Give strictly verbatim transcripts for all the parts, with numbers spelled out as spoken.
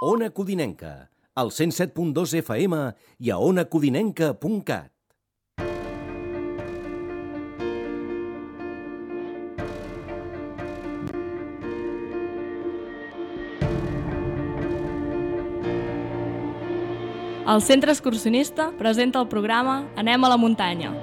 Ona Codinenca, al cent set punt dos F M i a ona codinenca punt cat. El Centre Excursionista presenta el programa Anem a la muntanya.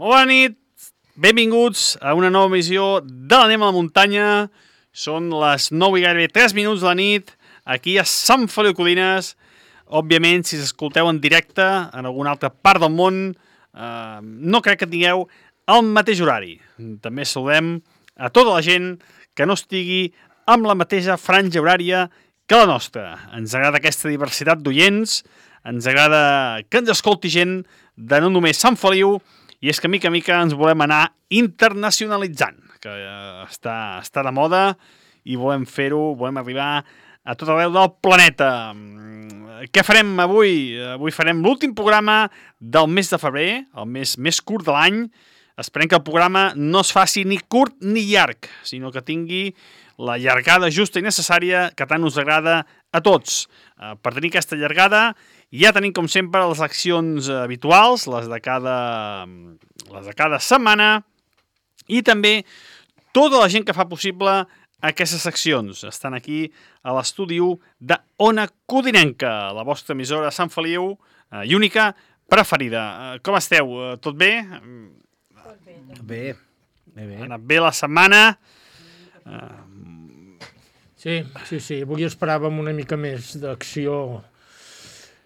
Bona nit, benvinguts a una nova emissió de l'Anem a la muntanya. Són les nou i gairebé tres minuts de la nit, aquí a Sant Feliu Codines. Òbviament, si s'escolteu en directe en alguna altra part del món, eh, no crec que tingueu el mateix horari. També saludem a tota la gent que no estigui amb la mateixa franja horària que la nostra. Ens agrada aquesta diversitat d'oients, ens agrada que ens escolti gent de no només Sant Feliu, i és que mica a mica ens volem anar internacionalitzant, que eh, està, està de moda i volem fer-ho, volem arribar a tot arreu del planeta. Què farem avui? Avui farem l'últim programa del mes de febrer, el mes més curt de l'any. Esperem que el programa no es faci ni curt ni llarg, sinó que tingui la llargada justa i necessària que tant us agrada a tots. Eh, per tenir aquesta llargada ja tenim, com sempre, les accions habituals, les de cada, les de cada setmana, i també tota la gent que fa possible aquestes seccions. Estan aquí a l'estudi de Ona Codinenca, la vostra emissora de Sant Feliu eh, i única preferida. Eh, com esteu? Eh, tot bé? Tot bé. Bé, bé, bé. Ha anat bé la setmana? Eh, Sí, sí, sí. Avui esperàvem una mica més d'acció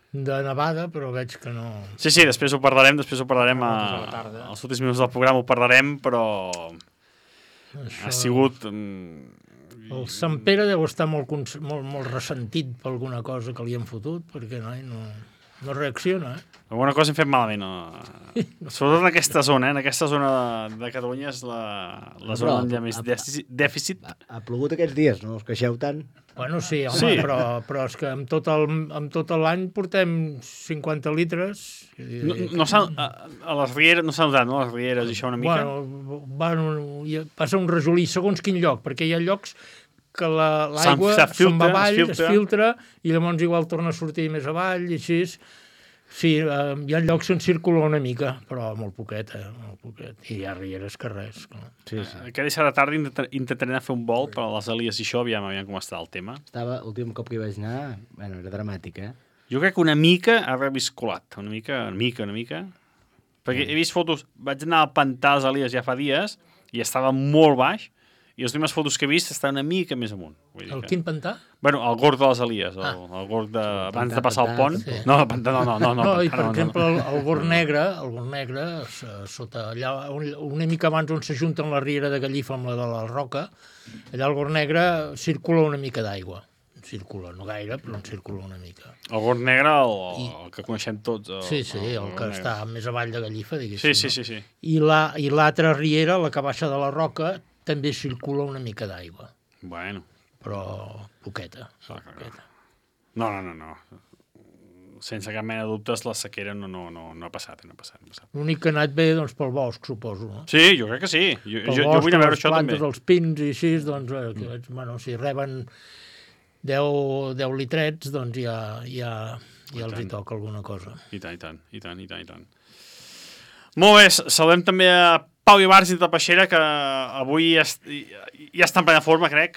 de nevada, però veig que no... Sí, sí, després ho parlarem, després ho parlarem a, a la tarda. als últims minuts del programa, ho parlarem, però Això... ha sigut... mm, El Sant Pere deu estar molt, cons- molt, molt ressentit per alguna cosa que li han fotut, perquè no, no, no reacciona, eh? Alguna cosa hem fet malament. No? Sobretot en aquesta zona, eh? En aquesta zona de, de Catalunya és la, la zona on hi ha més dèficit. dèficit. Ha, ha plogut aquests dies, no us queixeu tant? Bueno, sí, home, Sí. Però, però és que amb tot, el, amb tot l'any portem cinquanta litres. No, no s'ha, a, a les rieres, no s'ha notat, no? A les rieres i això una mica? Bueno, bueno, hi ha- passa un resolí segons quin lloc, perquè hi ha llocs que la- l'aigua Se'n- se se'n va filtra, avall, es es filtra. filtra, i llavors igual torna a sortir més avall, i així. Sí, eh, hi ha llocs on circula una mica, però molt poquet, eh? Molt poquet. I hi ha rieres que res. Clar. Sí, sí. Aquesta deixar de tarda intent- intentaré anar a fer un vol per a les Elies i això, aviam, aviam com està el tema. Estava, l'últim cop que hi vaig anar, bueno, era dramàtic, eh? Jo crec que una mica ha reviscolat, una mica, una mica, una mica. Perquè he vist fotos, vaig anar al pantà dels Elies ja fa dies i estava molt baix, i les últimes fotos que he vist estan una mica més amunt. Vull dir El que... quin pantà? Bueno, el gorg de les Elies, el, Ah. el gorg de... Sí, el abans pantà, de passar el pantà, pont. sí. No, el pantà, no, no, no. No, no, i pantà, per no, exemple, no. el, el Gorg Negre, el Gorg Negre, s- sota allà, un- una mica abans on s'ajunten la riera de Gallifa amb la de la Roca, allà al Gorg Negre circula una mica d'aigua. Circula, no gaire, però en circula una mica. El gorg negre, el, I- el que coneixem tots. El, Sí, sí, el que gorg està negre. més avall de Gallifa, diguéssim. Sí, sí, no? sí, sí. I la- I l'altra riera, la que baixa de la Roca, també circula una mica d'aigua, Bueno, però poqueta. clar, clar, poqueta. clar. No, no, no, no. Sense cap mena de dubtes, la sequera no, no, no, no ha passat, no ha passat, no ha passat. L'únic que ha anat bé, doncs, pel bosc, suposo, no? Sí, jo crec que sí. Jo, Pel jo, jo bosc, vull anar a veure les això també. plantes, els pins i així, doncs, eh, que, veig, bueno, si reben deu, deu litrets, doncs ja, ja, ja els hi tant. toca alguna cosa. I tant, i tant, i tant, i tant, i tant. Molt bé, saludem també a Pau Ibarz de Peixera, que avui ja, est- ja està en plena forma, crec.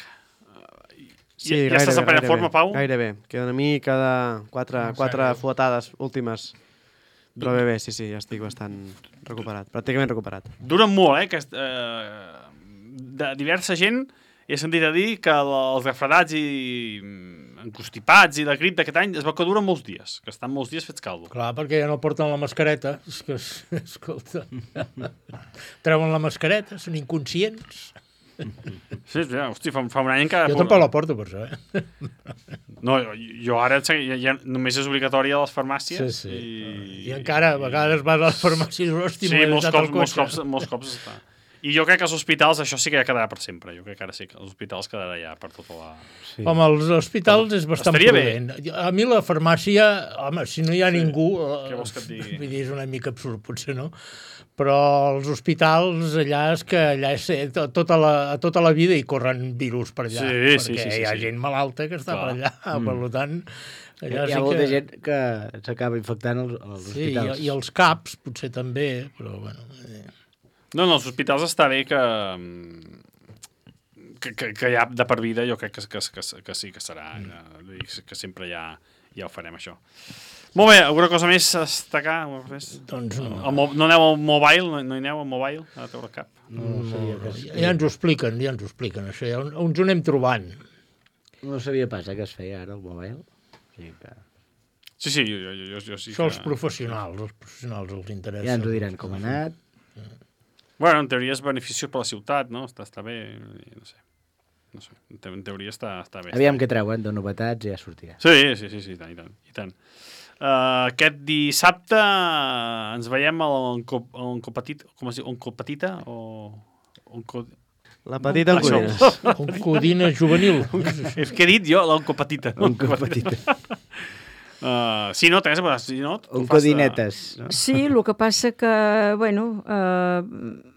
Sí, ja, ja estàs en plena forma, Pau? Gairebé. Queda una mica de quatre, No, quatre sèrio. fuetades últimes. Però bé, bé, sí, sí, ja estic bastant recuperat. Pràcticament recuperat. Duren molt, eh? Que, eh de diversa gent he sentit a dir que el- els refredats i mm, encostipats i la grip d'aquest any es veu que duren molts dies, que estan molts dies fets caldo. Clar, perquè ja no porten la mascareta. És que, escolta, treuen la mascareta, són inconscients. Sí, sí, hosti, fa, fa un any encara... Jo tampoc la porto, per això, eh? No, jo, jo ara ja, ja, només és obligatòria a les farmàcies. Sí, sí. I, I encara, a vegades vas a les farmàcies, hosti, Sí, m'he molts deixat el cops, molts cotxe. cops, molts cops està. I jo crec que als hospitals això sí que ja quedarà per sempre. Jo crec que ara sí que als hospitals quedarà ja per tota la... Sí. Home, als hospitals és bastant Estaria bé. prudent. A mi la farmàcia, home, si no hi ha sí. ningú... eh, Què vols que et digui? Vull dir, és una mica absurd, potser, no? Però als hospitals, allà és que allà és, eh, to- tota, la, tota la vida hi corren virus per allà. Sí, perquè sí, sí, sí, hi ha sí. gent malalta que està Clar. per allà. Mm. Per tant, allà Hi sí ha molta que... gent que s'acaba infectant als, als Sí, i, hospitals. i els caps, potser també, però bueno... Eh. No, no, als hospitals està bé que, que, que, que ja de per vida jo crec que, que, que, que sí que serà, mm. que, que sempre ja, ja ho farem, això. Molt bé, alguna cosa més a destacar? Doncs no. El, mo- no aneu al mobile? No, no hi aneu al mobile? A treure cap? No, no, sabia No, que es, ja ens ho expliquen, ja ens ho expliquen, això. Ja ens ho anem trobant. no sabia pas eh, que es feia ara el mobile. O sigui que Sí, sí, jo, jo, jo, jo sí Això que... als professionals, als professionals els interessa. ja ens ho diran com ha anat. Bueno, en teoria és beneficiós per la ciutat, no? Està, està bé, no sé. No sé, en te- en teoria està, està bé. Aviam què treuen de novetats i ja sortirà. Sí, sí, sí, sí, i tant, i tant. I tant. Uh, aquest dissabte ens veiem a l'Oncopetita, com es diu, Oncopetita o... Onco... La petita Això. Alcudines. Un codina juvenil. És que he dit jo, l'Oncopetita. Oncopetita. Uh, sí, no, Teresa, si no... tu Un fas de- codinetes. No? Sí, el que passa que, bueno, eh,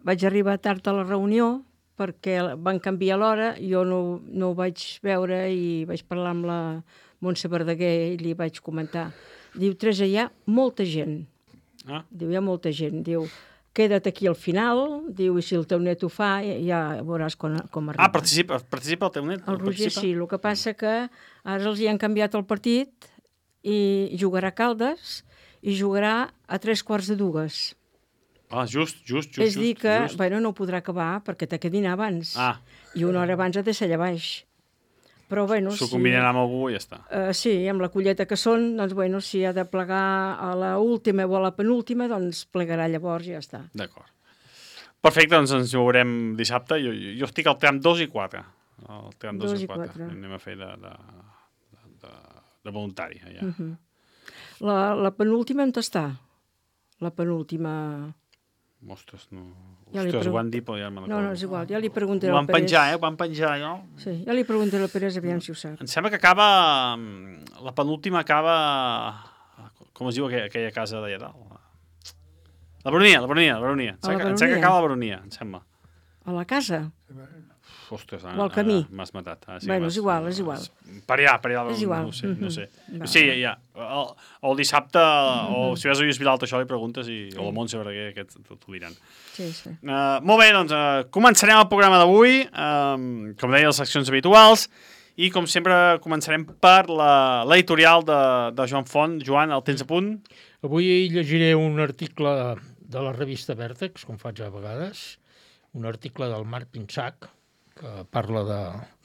vaig arribar tard a la reunió perquè van canviar l'hora, jo no, no ho vaig veure i vaig parlar amb la Montse Verdaguer i li vaig comentar. Diu, Teresa, hi ha molta gent. Ah, Diu, hi ha molta gent. Diu, queda't aquí al final, diu, i si el teu net ho fa, ja veuràs com, com arriba. ah participa, participa el teu net? El Roger Participa? sí, el que passa que ara els hi han canviat el partit i jugarà a Caldes i jugarà a tres quarts de dues. Ah, just, just, just. És dir just, que, just. bueno, no ho podrà acabar perquè té que dinar abans. Ah, I una hora abans ha de ser allà baix. Però, bueno, s'ho si... combinarà amb algú i ja està. Uh, sí, amb la colleta que són, doncs, bueno, si ha de plegar a la última o a la penúltima, doncs plegarà llavors i ja està. D'acord. Perfecte, doncs ens veurem dissabte. Jo, jo, jo estic al tram dos i quatre. Al tram dos, Dos i i quatre. quatre. Anem a fer de, de, de, de, de voluntari. Ja. Uh -huh. La, la penúltima on està? La penúltima... Ostres, no... Ja li Ostres, pregu- ho han dit, però ja me'n No, no, és igual. Ja li preguntaré Ho al van Pérez. penjar, eh? Ho van penjar, no? Sí, ja li preguntaré al Pérez, aviam si ho sap. Em sembla que acaba... La penúltima acaba... Com es diu aquella, aquella casa d'allà dalt? La Baronia, la Baronia, la Baronia. Em A la sembla, que- em sembla que Baronia? acaba la Baronia, em sembla. A la casa. Ostres, O al camí. m'has matat. Ah, sí, Bueno, m'has- és igual, és igual. Per allà, per allà. És igual. No ho sé, no ho sé. Mhm. Sí, ja. El, el dissabte, o si vas a Lluís Vilalta, això li preguntes, i, o el Montse Verdaguer, aquests t'ho diran. Sí, sí. Uh, molt bé, doncs uh, començarem el programa d'avui, um, com deia, les seccions habituals, i com sempre començarem per la- l'editorial de, de Joan Font. Joan, el tens a punt? Avui llegiré un article de la revista Vèrtex, com faig a vegades, un article del Marc Pinsac, que parla de,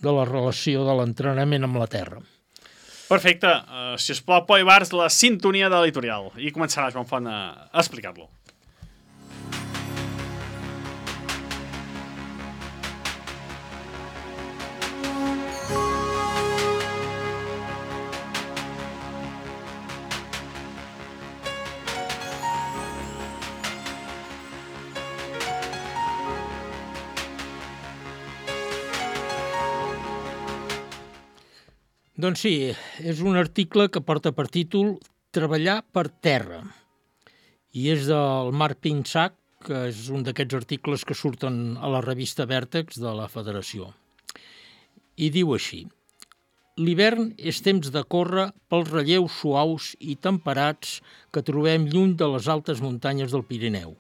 de la relació de l'entrenament amb la terra. Perfecte. Uh, si us plau, Poi Bars, la sintonia de l'editorial. I començarà Joan Font a, a explicar-lo. Doncs sí, és un article que porta per títol Treballar per terra. I és del Marc Pinsac, que és un d'aquests articles que surten a la revista Vèrtex de la Federació. I diu així: l'hivern és temps de córrer pels relleus suaus i temperats que trobem lluny de les altes muntanyes del Pirineu.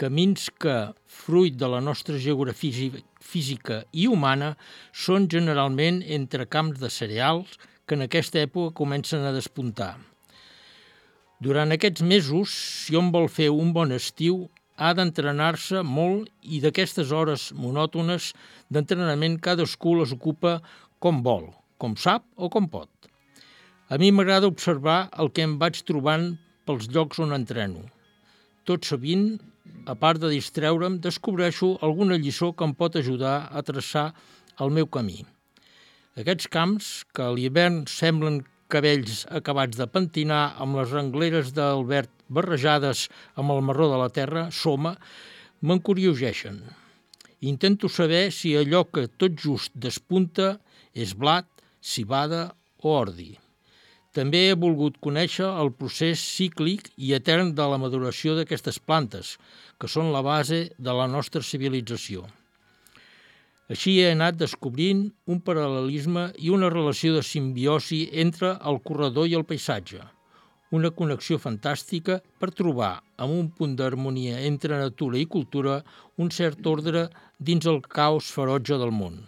Camins que, fruit de la nostra geografia física i humana, són generalment entre camps de cereals que en aquesta època comencen a despuntar. Durant aquests mesos, si hom vol fer un bon estiu, ha d'entrenar-se molt i d'aquestes hores monòtones d'entrenament cadascú les ocupa com vol, com sap o com pot. A mi m'agrada observar el que em vaig trobant pels llocs on entreno. Tot sovint, a part de distreure'm, descobreixo alguna lliçó que em pot ajudar a traçar el meu camí. Aquests camps, que a l'hivern semblen cabells acabats de pentinar amb les rengleres del verd barrejades amb el marró de la terra, soma, m'encurioseixen. Intento saber si allò que tot just despunta és blat, civada o ordi. També he volgut conèixer el procés cíclic i etern de la maduració d'aquestes plantes, que són la base de la nostra civilització. Així he anat descobrint un paral·lelisme i una relació de simbiosi entre el corredor i el paisatge, una connexió fantàstica per trobar, amb un punt d'harmonia entre natura i cultura, un cert ordre dins el caos ferotge del món.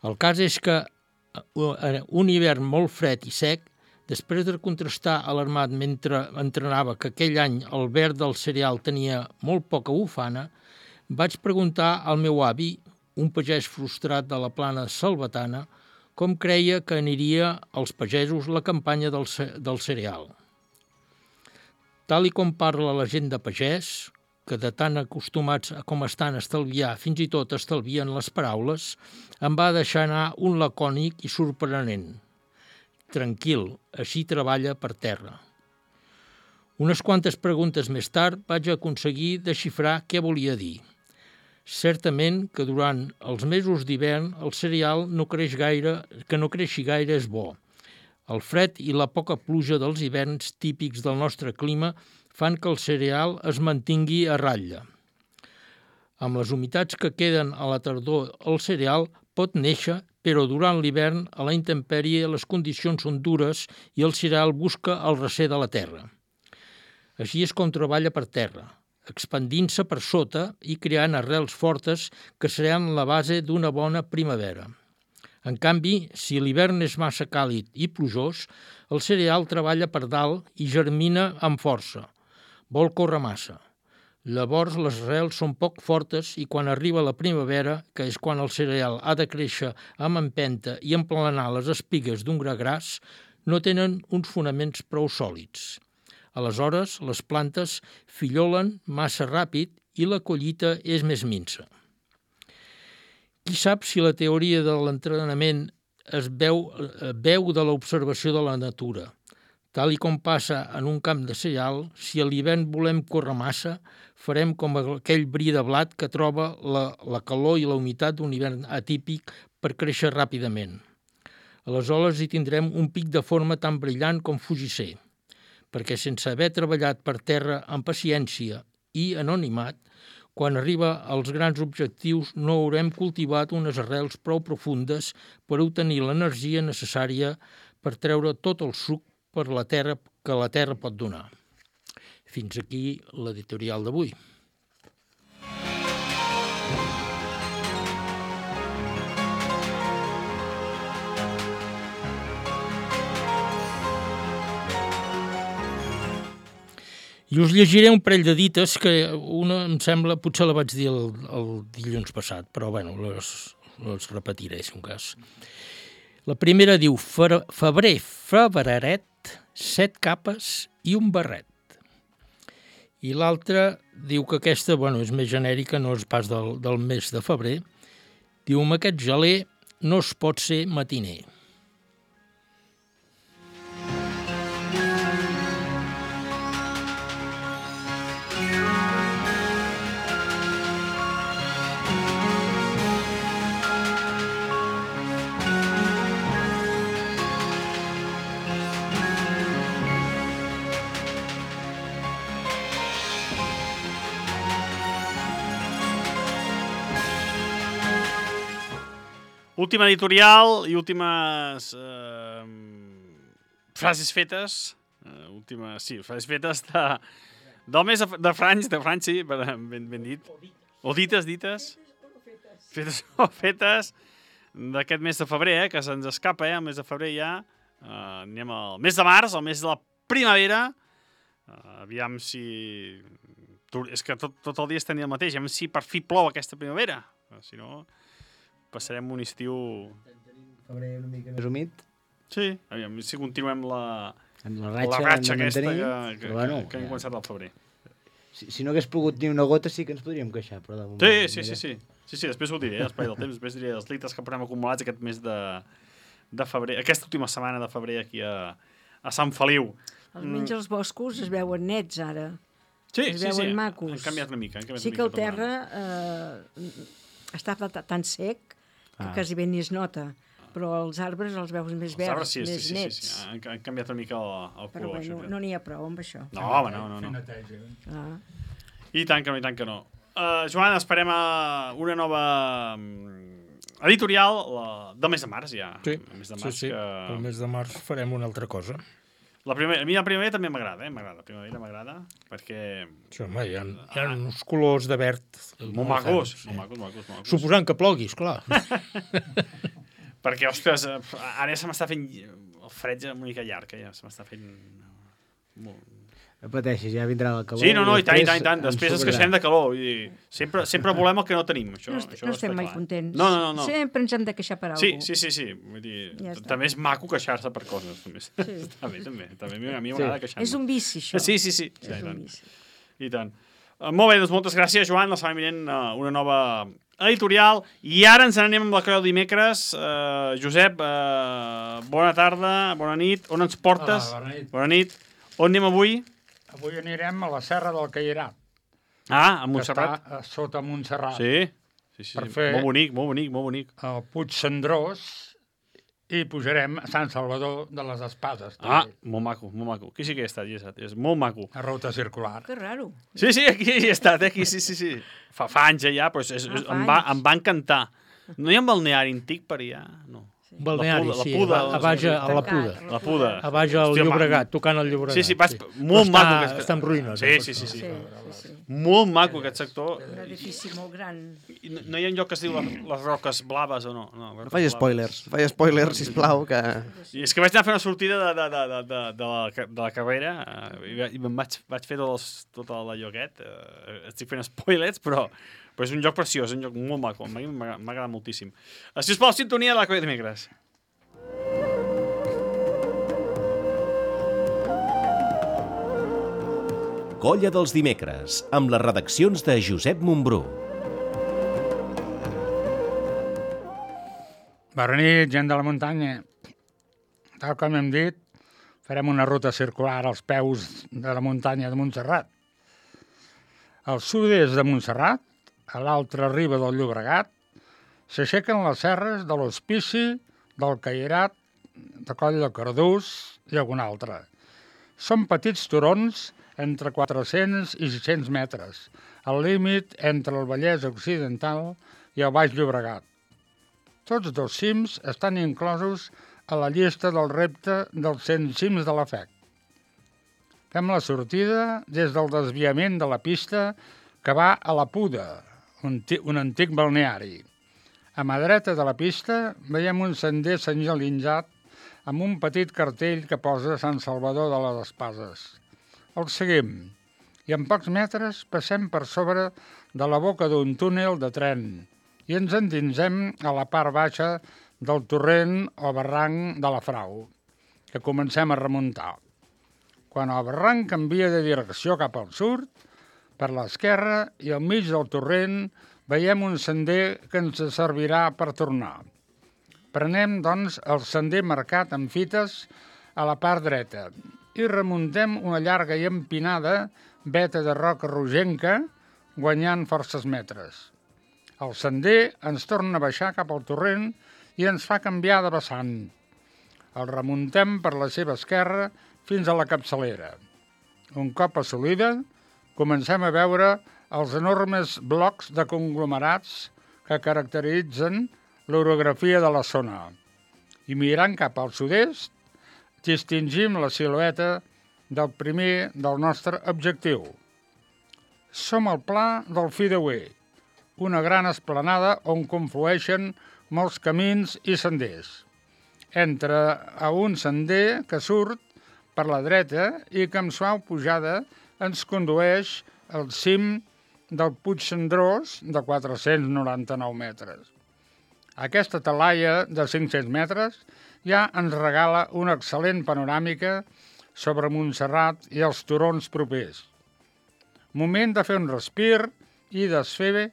El cas és que un hivern molt fred i sec, després de contrastar alarmat mentre entrenava que aquell any el verd del cereal tenia molt poca bufana, vaig preguntar al meu avi, un pagès frustrat de la plana salvatana, com creia que aniria als pagesos la campanya del, del cereal. Tal i com parla la gent de pagès, que de tan acostumats com estan a estalviar, fins i tot estalvien les paraules, em va deixar anar un lacònic i sorprenent. Tranquil, així treballa per terra. Unes quantes preguntes més tard vaig aconseguir desxifrar què volia dir. Certament que durant els mesos d'hivern el cereal no creix gaire, que no creixi gaire és bo. El fred i la poca pluja dels hiverns típics del nostre clima fan que el cereal es mantingui a ratlla. Amb les humitats que queden a la tardor, el cereal pot néixer, però durant l'hivern, a la intempèrie, les condicions són dures i el cereal busca el recer de la terra. Així és com treballa per terra, expandint-se per sota i creant arrels fortes que seran la base d'una bona primavera. En canvi, si l'hivern és massa càlid i plujós, el cereal treballa per dalt i germina amb força. Vol córrer massa. Llavors les arrels són poc fortes i quan arriba la primavera, que és quan el cereal ha de créixer amb empenta i emplenar les espigues d'un gra gras, no tenen uns fonaments prou sòlids. Aleshores, les plantes fillolen massa ràpid i la collita és més minsa. Qui sap si la teoria de l'entrenament es veu, veu de l'observació de la natura. Tal i com passa en un camp de cereal, si a l'hivern volem córrer massa, farem com aquell bri de blat que troba la, la calor i la humitat d'un hivern atípic per créixer ràpidament. Aleshores hi tindrem un pic de forma tan brillant com fugisser, perquè sense haver treballat per terra amb paciència i anonimat, quan arriba als grans objectius no haurem cultivat unes arrels prou profundes per obtenir l'energia necessària per treure tot el suc per la terra que la terra pot donar. Fins aquí l'editorial d'avui. I us llegiré un parell de dites que una, em sembla, potser la vaig dir el, el dilluns passat, però bueno, les, les repetiré, si un cas. La primera diu, febrer, febreret, set capes i un barret. I l'altra diu que aquesta, bueno, és més genèrica, no és pas del, del mes de febrer. Diu, amb aquest geler no es pot ser matiner. Última editorial i últimes eh, frases fetes, eh, últimes, sí, frases fetes de, del mes de, de Franys, de Franys, sí, ben, ben dit, o dites, dites, fetes o fetes d'aquest mes de febrer, eh, que se'ns escapa, eh, el mes de febrer ja, eh, anem al mes de març, el mes de la primavera, eh, aviam si, és que tot, tot el dia estem el mateix, aviam si per fi plou aquesta primavera, si no... passarem un estiu... Febrer una mica més humit. Sí, aviam, si continuem la, amb la ratxa, la ratxa aquesta mantenir, que, que, bueno, que, que hem començat al febrer. Si, si no hagués plogut ni una gota sí que ens podríem queixar, però de moment... Sí, sí, sí, sí. Sí, sí, després ho diré, l'espai del temps, després diré els litres que portem acumulats aquest mes de, de febrer, aquesta última setmana de febrer aquí a, a Sant Feliu. Almenys els boscos es veuen nets, ara. Sí, es sí, veuen sí, macos. han canviat una mica. Han canviat sí una que mica el terra eh, està tan sec que Ah. quasi bé ni es nota, però els arbres els veus més verds, arbres, sí, més sí, sí, nets. sí, sí. Han, han canviat una mica el, el Però color. bueno, això, no n'hi ha prou amb això. no, home, no, no. no. Ah. I tant que no, i tant que no. Uh, Joan, esperem a una nova mm, editorial la, del mes de març, ja. Sí, el mes de sí, març, sí. que... El mes de març farem una altra cosa. La primera, a mi la primavera també m'agrada, eh? M'agrada, la primavera m'agrada, perquè... Sí, home, hi ha, hi ha uns colors de verd Molt macos, molt macos, macos, macos. Suposant que plogui, esclar. Perquè, ostres, ara ja se m'està fent... El fred ja una mica llarg, eh? Ja se m'està fent... Molt... No pateixis, ja vindrà el calor. Sí, no, no, i tant, i tant, i tant. ens Després ens sobrarà. queixem de calor. Vull dir, sempre, sempre volem el que no tenim. Això, No, est això no estem està mai clar. contents. No, no, no. no. Sempre ens hem de queixar per Sí, alguna sí, sí, sí. Vull dir, Ja està. també és maco queixar-se per coses. També. Sí. Està bé, també. també. A mi m'agrada Sí. queixar-me. És un vici, això. Sí, sí, sí. sí És i un tant. vici. I tant. Uh, molt bé, doncs moltes gràcies, Joan. La setmana vinent uh, una nova editorial. I ara ens n'anem amb la creu dimecres. Uh, Josep, uh, bona tarda, bona nit. On ens portes? Hola, bona nit. Bona nit. On anem avui? Avui anirem a la Serra del Cairat, Ah, a que Montserrat. està a sota Montserrat, Sí, sí, sí. Per sí. fer- Molt bonic, molt bonic, molt bonic. al Puig Cendrós, i pujarem a Sant Salvador de les Espades, Ah, també, molt maco, molt maco. Aquí sí que he estat, hi he estat. És molt maco. a ruta circular. Que raro. Sí, sí, aquí hi he estat, eh? Aquí, sí, sí, sí. Fa, fa anys ja, però és, és, Ah, és, fa em, va, anys. em va encantar. No hi ha un balneari antic per allà? No. Un balneari, La Puda, la sí, Puda, a, a, baix a, a la Tancat, Puda. La Puda. A baix al Hòstia, Llobregat, tocant el Llobregat. Sí, sí, vaig... Però Molt està, maco. Aquest... Està en ruïnes. Sí, eh, sí, sí, sí. Sí, sí, sí. Molt maco aquest sector. Un edifici molt gran. I No, no hi ha un lloc que es diu les, les roques blaves o no? No, No faig spoilers, faig spoilers, sisplau, que... I és que vaig anar a fer una sortida de, de, de, de, de, de, la, de la carrera eh, i, va- i me'n vaig, vaig fer tot, els, tot el lloguet. Eh, estic fent spoilers, però, però és un lloc preciós, un lloc molt maco. A mi m'ha m'ha agradat moltíssim. Eh, Si us plau, sintonia de la Colla de Dimecres. Colla dels dimecres, amb les redaccions de Josep Montbrú. Bona nit, gent de la muntanya. Tal com hem dit, farem una ruta circular als peus de la muntanya de Montserrat. Al sud-est de Montserrat, a l'altra riba del Llobregat, s'aixequen les serres de l'Hospici, del Cairat, de Coll de Cardús i algun altre. Són petits turons entre quatre-cents i sis-cents metres, al límit entre el Vallès Occidental i el Baix Llobregat. Tots dos cims estan inclosos a la llista del repte dels cent cims de la F E C. Fem la sortida des del desviament de la pista que va a la Puda, un, un antic balneari. A mà dreta de la pista veiem un sender senyalitzat amb un petit cartell que posa Sant Salvador de les Espases. El seguim i en pocs metres passem per sobre de la boca d'un túnel de tren i ens endinsem a la part baixa del torrent o barranc de la Frau, que comencem a remuntar. Quan el barranc canvia de direcció cap al sud, per l'esquerra i al mig del torrent veiem un sender que ens servirà per tornar. Prenem, doncs, el sender marcat amb fites a la part dreta i remuntem una llarga i empinada veta de roca rogenca, guanyant forces metres. El sender ens torna a baixar cap al torrent i ens fa canviar de vessant. El remuntem per la seva esquerra fins a la capçalera. Un cop assolida, comencem a veure els enormes blocs de conglomerats que caracteritzen l'orografia de la zona. I mirant cap al sud-est, distingim la silueta del primer del nostre objectiu. Som al pla del Fideuer, una gran esplanada on conflueixen molts camins i senders. Entra a un sender que surt per la dreta i que amb suau pujada ens condueix al cim del Puig Cendrós de quatre-cents noranta-nou metres. Aquesta talaia de cinc-cents metres ja ens regala una excel·lent panoràmica sobre Montserrat i els turons propers. Moment de fer un respir i desfer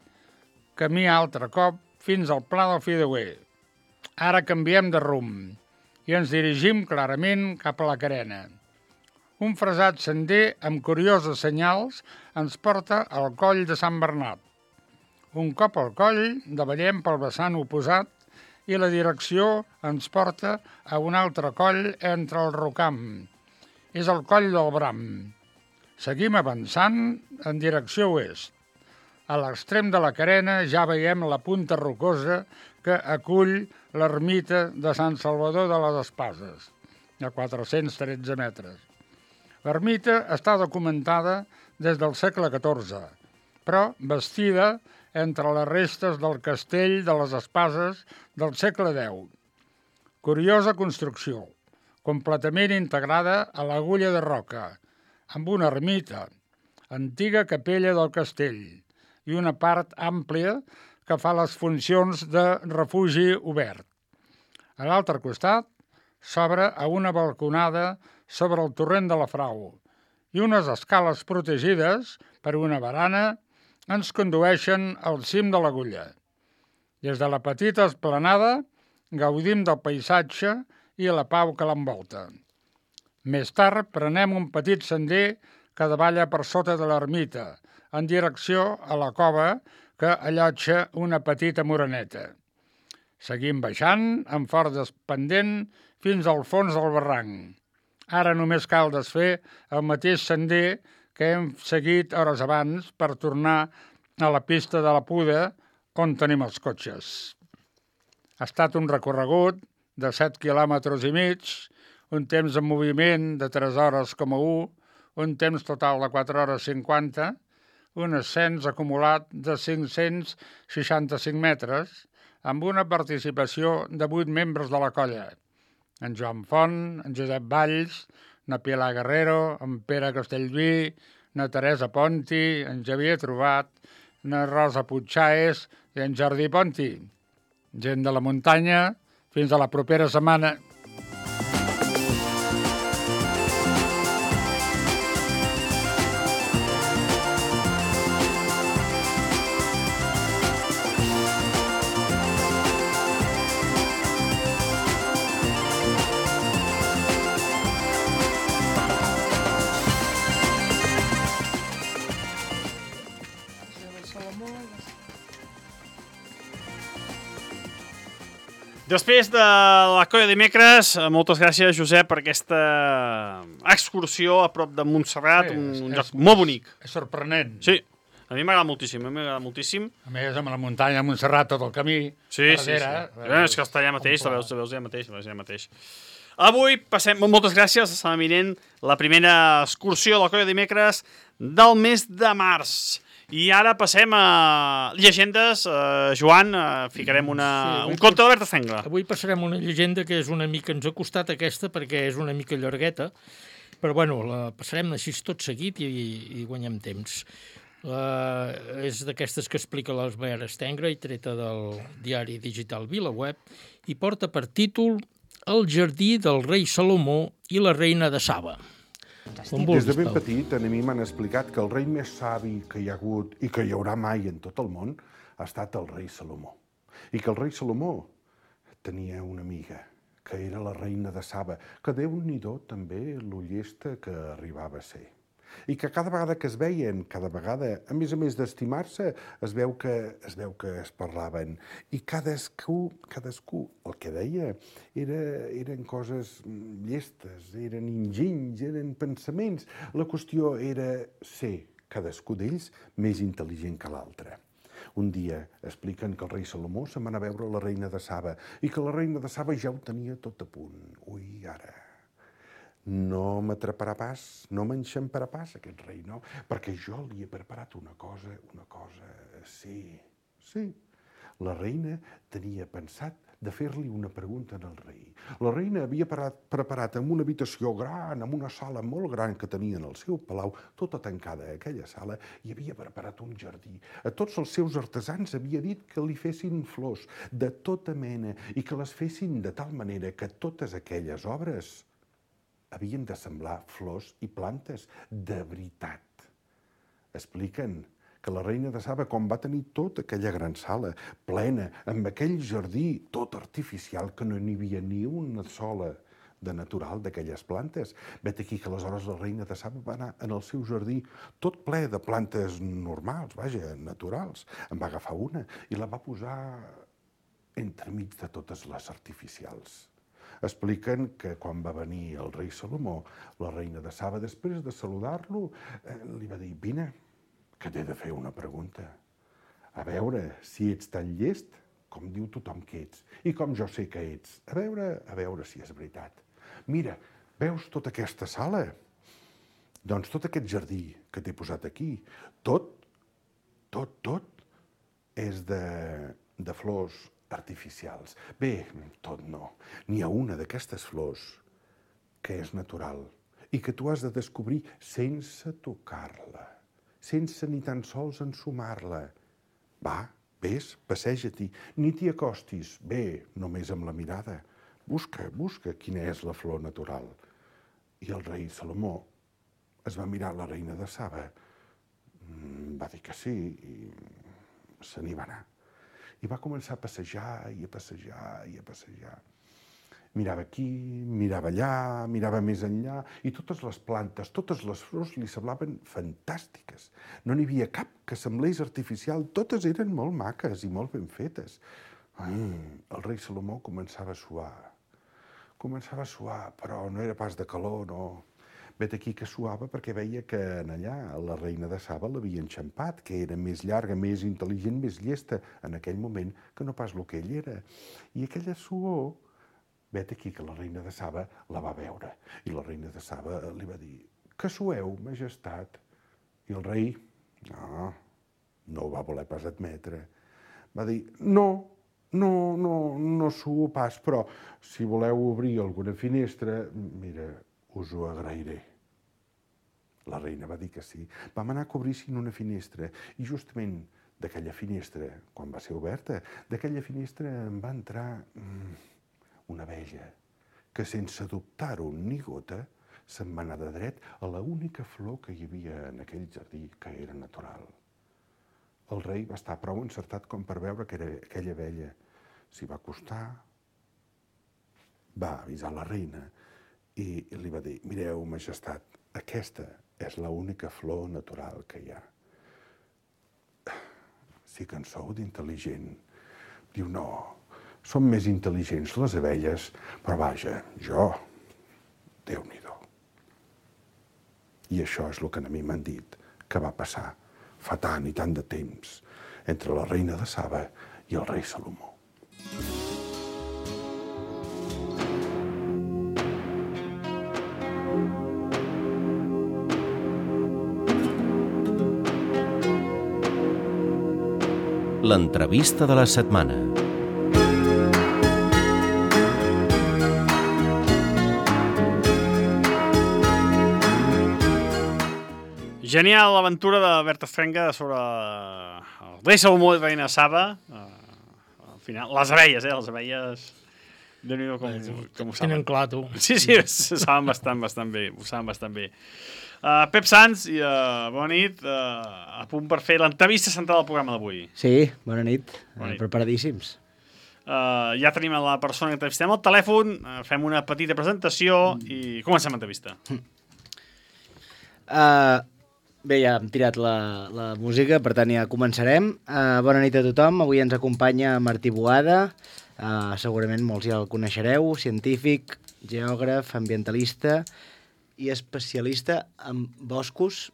camí altre cop fins al pla del Fideuer. Ara canviem de rumb i ens dirigim clarament cap a la Carena. Un fresat sender amb curioses senyals ens porta al coll de Sant Bernat. Un cop al coll, davallem pel vessant oposat i la direcció ens porta a un altre coll entre el Rocam. És el coll del Bram. Seguim avançant en direcció oest. A l'extrem de la Carena ja veiem la punta rocosa que acull l'ermita de Sant Salvador de les Espases, de quatre-cents tretze metres. L'ermita està documentada des del segle catorze, però bastida entre les restes del castell de les Espases del segle deu. Curiosa construcció, completament integrada a l'agulla de roca, amb una ermita, antiga capella del castell i una part àmplia que fa les funcions de refugi obert. A l'altre costat s'obre a una balconada sobre el torrent de la Frau i unes escales protegides per una barana ens condueixen al cim de l'Agulla. Des de la petita esplanada gaudim del paisatge i la pau que l'envolta. Més tard prenem un petit sender que davalla per sota de l'ermita, en direcció a la cova que allotja una petita moreneta. Seguim baixant amb fort despendent fins al fons del barranc. Ara només cal desfer el mateix sender que hem seguit hores abans per tornar a la pista de la Puda on tenim els cotxes. Ha estat un recorregut de set quilòmetres i mig, un temps en moviment de tres hores coma u, un temps total de quatre hores cinquanta, un ascens acumulat de cinc-cents seixanta-cinc metres, amb una participació de vuit membres de la colla. En Joan Font, en Josep Valls, na Pilar Guerrero, en Pere Castellví, na Teresa Ponti, en Xavier Trobat, na Rosa Puigchaes i en Jordi Ponti. Gent de la muntanya, fins a la propera setmana. Després de la colla de dimecres, moltes gràcies, Josep, per aquesta excursió a prop de Montserrat, Sí, un, és- un és- lloc molt bonic. És sorprenent. Sí, a mi m'agrada moltíssim, a mi m'agrada moltíssim. A més, amb la muntanya de Montserrat, tot el camí, Sí, sí, sí. darrere, Eh, és que està allà mateix, un pla. la veus, la veus allà mateix, la veus allà mateix. Avui passem, moltes gràcies, està eminent la primera excursió de la colla de dimecres del mes de març. I ara passem a llegendes. Uh, Joan, uh, ficarem una, Sí, un conte d'Albert Estengla. Avui passarem una llegenda que és una mica, ens ha costat aquesta perquè és una mica llargueta, però bueno, la passarem així tot seguit i, i guanyem temps. La, és d'aquestes que explica l'Albert Estengla i treta del diari digital VilaWeb i porta per títol El jardí del rei Salomó i la reina de Saba. Com Des de ben Pau? petit, a mi m'han explicat que el rei més savi que hi ha hagut i que hi haurà mai en tot el món ha estat el rei Salomó. I que el rei Salomó tenia una amiga, que era la reina de Saba, que Déu-n'hi-do també lo llesta que arribava a ser. I que cada vegada que es veien, cada vegada, a més a més d'estimar-se, es veu que es veu que es parlaven. I cadascú, cadascú, el que deia, era, eren coses llestes, eren enginys, eren pensaments. La qüestió era ser, cadascú d'ells, més intel·ligent que l'altre. Un dia expliquen que el rei Salomó se'n va anar a veure la reina de Saba i que la reina de Saba ja ho tenia tot a punt. Ui, ara... No m'atraparà pas, no m'enxamparà pas aquest rei, no? Perquè jo li he preparat una cosa, una cosa... Sí, sí. La reina tenia pensat de fer-li una pregunta al rei. La reina havia preparat en una habitació gran, en una sala molt gran que tenia en el seu palau, tota tancada a aquella sala, i havia preparat un jardí. A tots els seus artesans havia dit que li fessin flors de tota mena i que les fessin de tal manera que totes aquelles obres havien de semblar flors i plantes de veritat. Expliquen que la reina de Saba, quan va tenir tota aquella gran sala plena, amb aquell jardí tot artificial, que no n'hi havia ni una sola de natural d'aquelles plantes, vet aquí que aleshores la reina de Saba va anar en el seu jardí tot ple de plantes normals, vaja, naturals. En va agafar una i la va posar entremig de totes les artificials. Expliquen que quan va venir el rei Salomó, la reina de Saba, després de saludar-lo, eh, li va dir: vine, que t'he de fer una pregunta. A veure si ets tan llest com diu tothom que ets, i com jo sé que ets. A veure, a veure si és veritat. Mira, veus tota aquesta sala? Doncs tot aquest jardí que t'he posat aquí, tot, tot, tot, és de, de flors artificials. Bé, tot no. N'hi ha una d'aquestes flors que és natural i que tu has de descobrir sense tocar-la, sense ni tan sols ensumar-la. Va, vés, passeja-t'hi, ni t'hi acostis. Bé, només amb la mirada. Busca, busca quina és la flor natural. I el rei Salomó es va mirar la reina de Saba, va dir que sí i se n'hi va anar. I va començar a passejar i a passejar i a passejar. Mirava aquí, mirava allà, mirava més enllà, i totes les plantes, totes les flors li semblaven fantàstiques. No n'hi havia cap que semblés artificial, totes eren molt maques i molt ben fetes. Ai, el rei Salomó començava a suar. Començava a suar, però no era pas de calor, no. Vet aquí que suava perquè veia que en allà la reina de Saba l'havia enxampat, que era més llarga, més intel·ligent, més llesta en aquell moment que no pas el que ell era. I aquella suor, vet aquí que la reina de Saba la va veure. I la reina de Saba li va dir: que sueu, majestat? I el rei, no, no ho va voler pas admetre. Va dir: no, no, no, no suo pas, però si voleu obrir alguna finestra, mira, us ho agrairé. La reina va dir que sí. Vam anar a cobrir-s'hi una finestra i justament d'aquella finestra, quan va ser oberta, d'aquella finestra en va entrar mm, una abella que sense dubtar-ho ni gota se'n va anar de dret a l'única flor que hi havia en aquell jardí, que era natural. El rei va estar prou encertat com per veure que era aquella abella. S'hi va acostar, va avisar la reina i li va dir: mireu, majestat, aquesta és l'única flor natural que hi ha. Sí que en sou d'intel·ligent. Diu: no, Són més intel·ligents les abelles, però vaja, jo, Déu-n'hi-do. I això és el que a mi m'han dit que va passar fa tant i tant de temps entre la reina de Saba i el rei Salomó. L'entrevista de la setmana. Genial l'aventura de Bert Estrenga sobre el rei Salomó i reina Saba. Uh, al final, les abelles, eh? Les abelles... Déu-n'hi-do com, com ho saben. Tenen clar, tu. Sí, sí, ho saben bastant, bastant bé. Ho saben bastant bé. Uh, Pep Sans, i, uh, bona nit. Uh, a punt per fer l'entrevista central del programa d'avui. Sí, bona nit. Bona nit. Preparadíssims. Uh, ja tenim la persona que entrevistem al telèfon, uh, fem una petita presentació i comencem l'entrevista. Uh, bé, ja hem tirat la, la música, per tant ja començarem. Uh, bona nit a tothom. Avui ens acompanya Martí Boada. Uh, segurament molts ja el coneixereu. Científic, geògraf, ambientalista i especialista en boscos.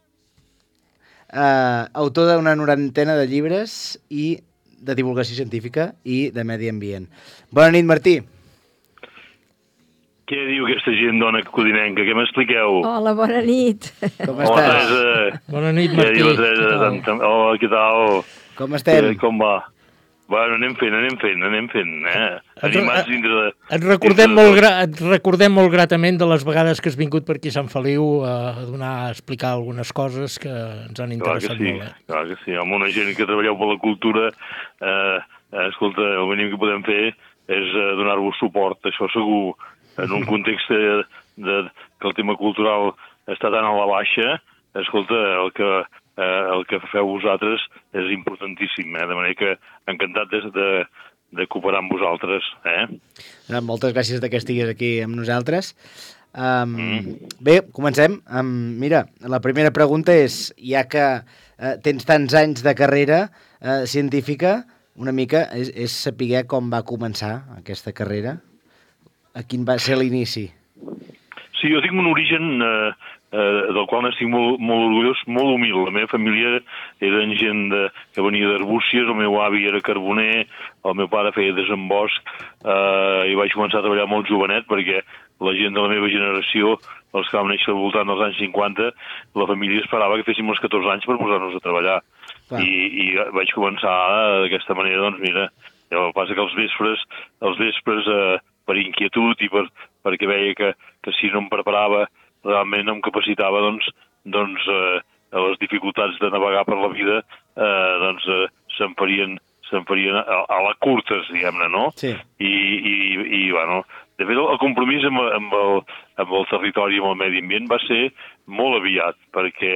Uh, autor d'una norantena de llibres i de divulgació científica i de medi ambient. Bona nit, Martí. Què diu aquesta gent, dona codinenca? Què m'expliqueu? Hola, bona nit. Com Hola, estàs? Teresa. Bona nit, Què Martí. diu, Teresa? Hola, què tal? Com estem? Eh, Com va? Bueno, anem fent, anem fent, anem fent, eh? Animats dintre de... Et recordem, molt gra et recordem molt gratament de les vegades que has vingut per aquí a Sant Feliu a donar, a explicar algunes coses que ens han interessat clar que sí, molt. Eh? Clar que sí, amb una gent que treballeu per la cultura, eh, eh, escolta, el mínim que podem fer és eh, donar-vos suport, això segur, en un context de, de, que el tema cultural està tan a la baixa, escolta, el que... Eh, el que feu vosaltres és importantíssim, eh? De manera que encantat de, de, de cooperar amb vosaltres. Eh? Moltes gràcies que estiguis aquí amb nosaltres. Um, mm. Bé, comencem. Um, mira, la primera pregunta és, ja que uh, tens tants anys de carrera uh, científica, una mica és, és saber com va començar aquesta carrera, a quin va ser l'inici. Sí, jo tinc un origen... Eh, Eh, del qual n'estic molt, molt orgullós, molt humil. La meva família eren gent de, que venia d'Arbúcies, el meu avi era carboner, el meu pare feia desembosc, eh, i vaig començar a treballar molt jovenet perquè la gent de la meva generació, els que vam néixer al voltant dels anys cinquanta, la família esperava que féssim els catorze anys per posar-nos a treballar. I, I vaig començar d'aquesta manera, doncs mira, el que passa que els vespres, els vespres eh, per inquietud i per, perquè veia que, que si no em preparava realment em capacitava doncs, doncs eh, a les dificultats de navegar per la vida eh, doncs eh, se'n farien, se'n farien a, a la curtes, diguem-ne, no? Sí. I, i, i bueno, de fet el compromís amb, amb, el, amb el territori i amb el medi ambient va ser molt aviat, perquè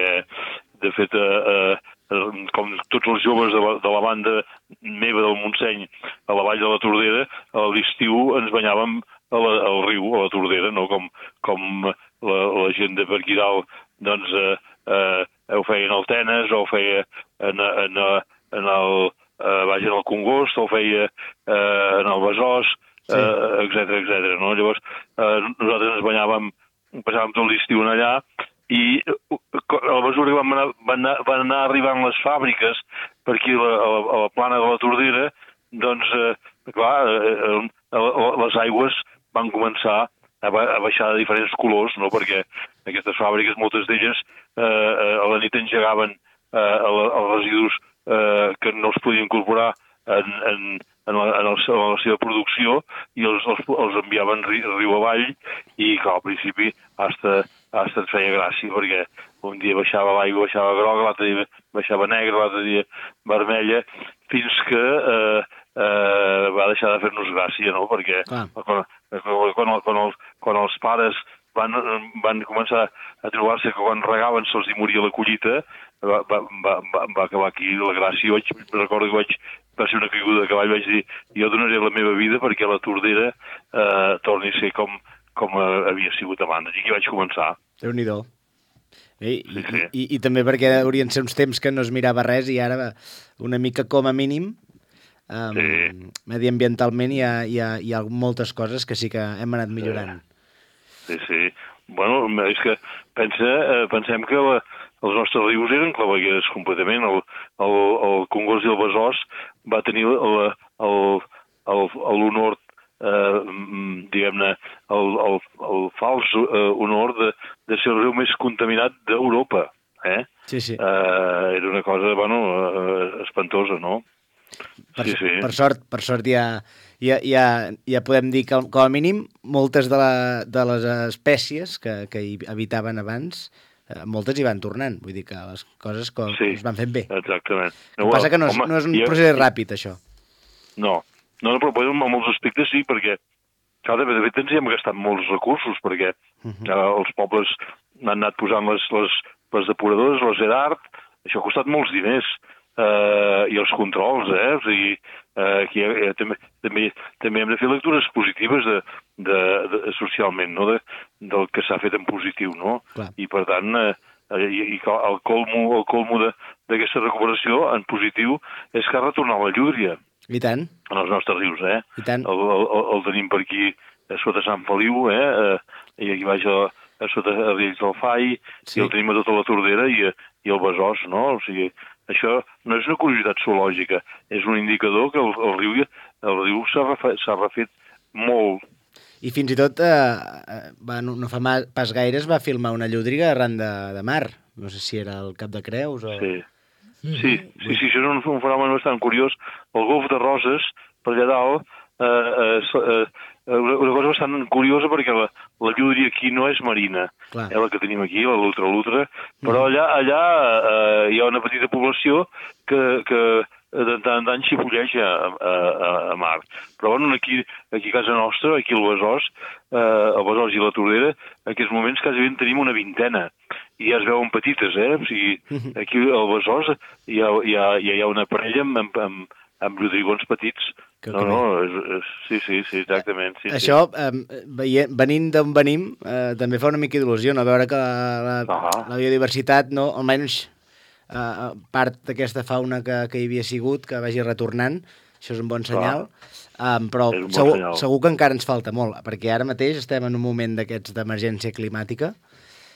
de fet eh, eh, com tots els joves de la, de la banda meva del Montseny a la vall de la Tordera, a l'estiu ens banyàvem a la, al riu, a la Tordera, no? Com, com la, la gent de per aquí dalt, doncs, eh, eh, ho feien al Tenes, o ho feia en, en, en el, eh, vaja, en el Congost, o ho feia eh, en el Besòs, eh, etcètera, etcètera, no? Llavors, eh, nosaltres ens banyàvem, passàvem tot l'estiu allà, i a la mesura que van anar, van anar, van anar arribant les fàbriques per aquí a la, a la, a la plana de la Tordera, doncs, eh, clar, eh, les aigües van començar a baixar de diferents colors, no? Perquè aquestes fàbriques, moltes d'elles, eh, a la nit engegaven eh, els residus eh, que no es podien incorporar en, en, en, la, en, el, en la seva producció i els, els, els enviaven ri, riu avall i, clar, al principi hasta, hasta et feia gràcia, perquè un dia baixava l'aigua, baixava groga, l'altre dia baixava negra, l'altre dia vermella, fins que eh, eh, va deixar de fer-nos gràcia, no? Perquè ah. quan, quan, quan, els, quan els pares van, van començar a trobar-se que quan regaven se'ls hi moria la collita, va, va, va, va acabar aquí la gràcia. Jo vaig, recordo que vaig, va ser una caiguda de cavall, vaig dir, jo donaré la meva vida perquè la Tordera eh, torni a ser com, com havia sigut abans. I aquí vaig començar. Déu-n'hi-do. I, sí, sí. I, i, I també perquè haurien ser uns temps que no es mirava res i ara una mica com a mínim Um, Sí. Mediambientalment hi ha, hi, ha, hi ha moltes coses que sí que hem anat millorant. Sí, sí. Bueno, és que pensa, eh, pensem que la, els nostres rius eren clavegueres completament. El, el, el Congost i el Besòs va tenir el- el- el- l'honor, eh, mm, diguem-ne, el, el, el fals eh, honor de, de ser el riu més contaminat d'Europa. Eh? Sí, sí. Eh, era una cosa, bueno, eh, espantosa, no? Per, Sí, sí. per sort, per sort ja, ja, ja, ja podem dir que, com a mínim, moltes de, la, de les espècies que, que hi habitaven abans, eh, moltes hi van tornant. Vull dir que les coses com, Sí, es van fent bé. Exactament. El que passa que no és, home, no és un i- procés ràpid, això. No, no, no, però bueno, en molts aspectes sí, perquè clar, de fet ens hi hem gastat molts recursos, perquè uh -huh. eh, els pobles han anat posant les, les, les depuradores, les ERART, això ha costat molts diners, eh, i els controls, eh? O sigui, eh, aquí eh, també, també, també hem de fer lectures positives de, de, de, socialment, no? De, del que s'ha fet en positiu, no? Clar. I per tant, eh, i, i el colmo, el colmo d'aquesta recuperació en positiu és que ha retornat la llúdria I tant. en els nostres rius, eh? I tant. El, el, el tenim per aquí a sota Sant Feliu, eh? eh I aquí baix a, a sota a Riells del Fai, sí. I el tenim a tota la Tordera i, i el Besòs, no? O sigui, això no és una curiositat zoològica, és un indicador que el, el riu, el riu s'ha refet, s'ha refet molt. I fins i tot, eh, va, no, no fa ma- pas gaire, es va filmar una llúdriga arran de, de mar. No sé si era el Cap de Creus o... Sí. Sí, sí, sí, això és un, un fenomen bastant curiós. El golf de Roses, per allà dalt, eh, eh, eh, una, una cosa bastant curiosa perquè la, la llúdria aquí no és marina, Clar. eh, la que tenim aquí, la Lutra-Lutra, però allà, allà eh, hi ha una petita població que, que de tant en tant xipolleja a, a, a mar. Però bueno, aquí, aquí a casa nostra, aquí al Besòs, eh, el Besòs i la Tordera, en aquests moments quasi ben tenim una vintena. I ja es veuen petites, eh? O sigui, aquí al Besòs hi ha, hi ha, hi ha una parella amb, amb, amb, amb lludrigons petits. Que No, no, és, és, sí, sí, sí, exactament. Sí, Això, eh, veient, venint d'on venim, eh, també fa una mica d'il·lusió, no? Veure que la, Ah. la biodiversitat, no, almenys eh, part d'aquesta fauna que, que hi havia sigut, que vagi retornant, això és un bon senyal, um, però És un bon segur, senyal. segur que encara ens falta molt, perquè ara mateix estem en un moment d'aquests d'emergència climàtica.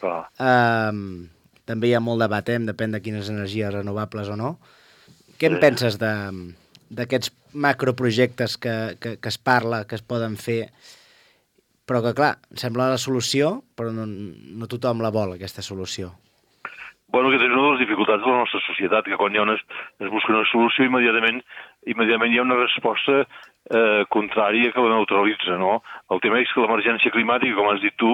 Clar. Um, també hi ha molt debat, eh? Depèn de quines energies renovables o no. Què en Sí. penses de, d'aquests macroprojectes que, que, que es parla, que es poden fer, però que, clar, sembla la solució, però no, no tothom la vol, aquesta solució. Bueno, que és una de les dificultats de la nostra societat, que quan hi ha una, es busca una solució, immediatament, immediatament hi ha una resposta eh, contrària que la neutralitza, no? El tema és que l'emergència climàtica, com has dit tu,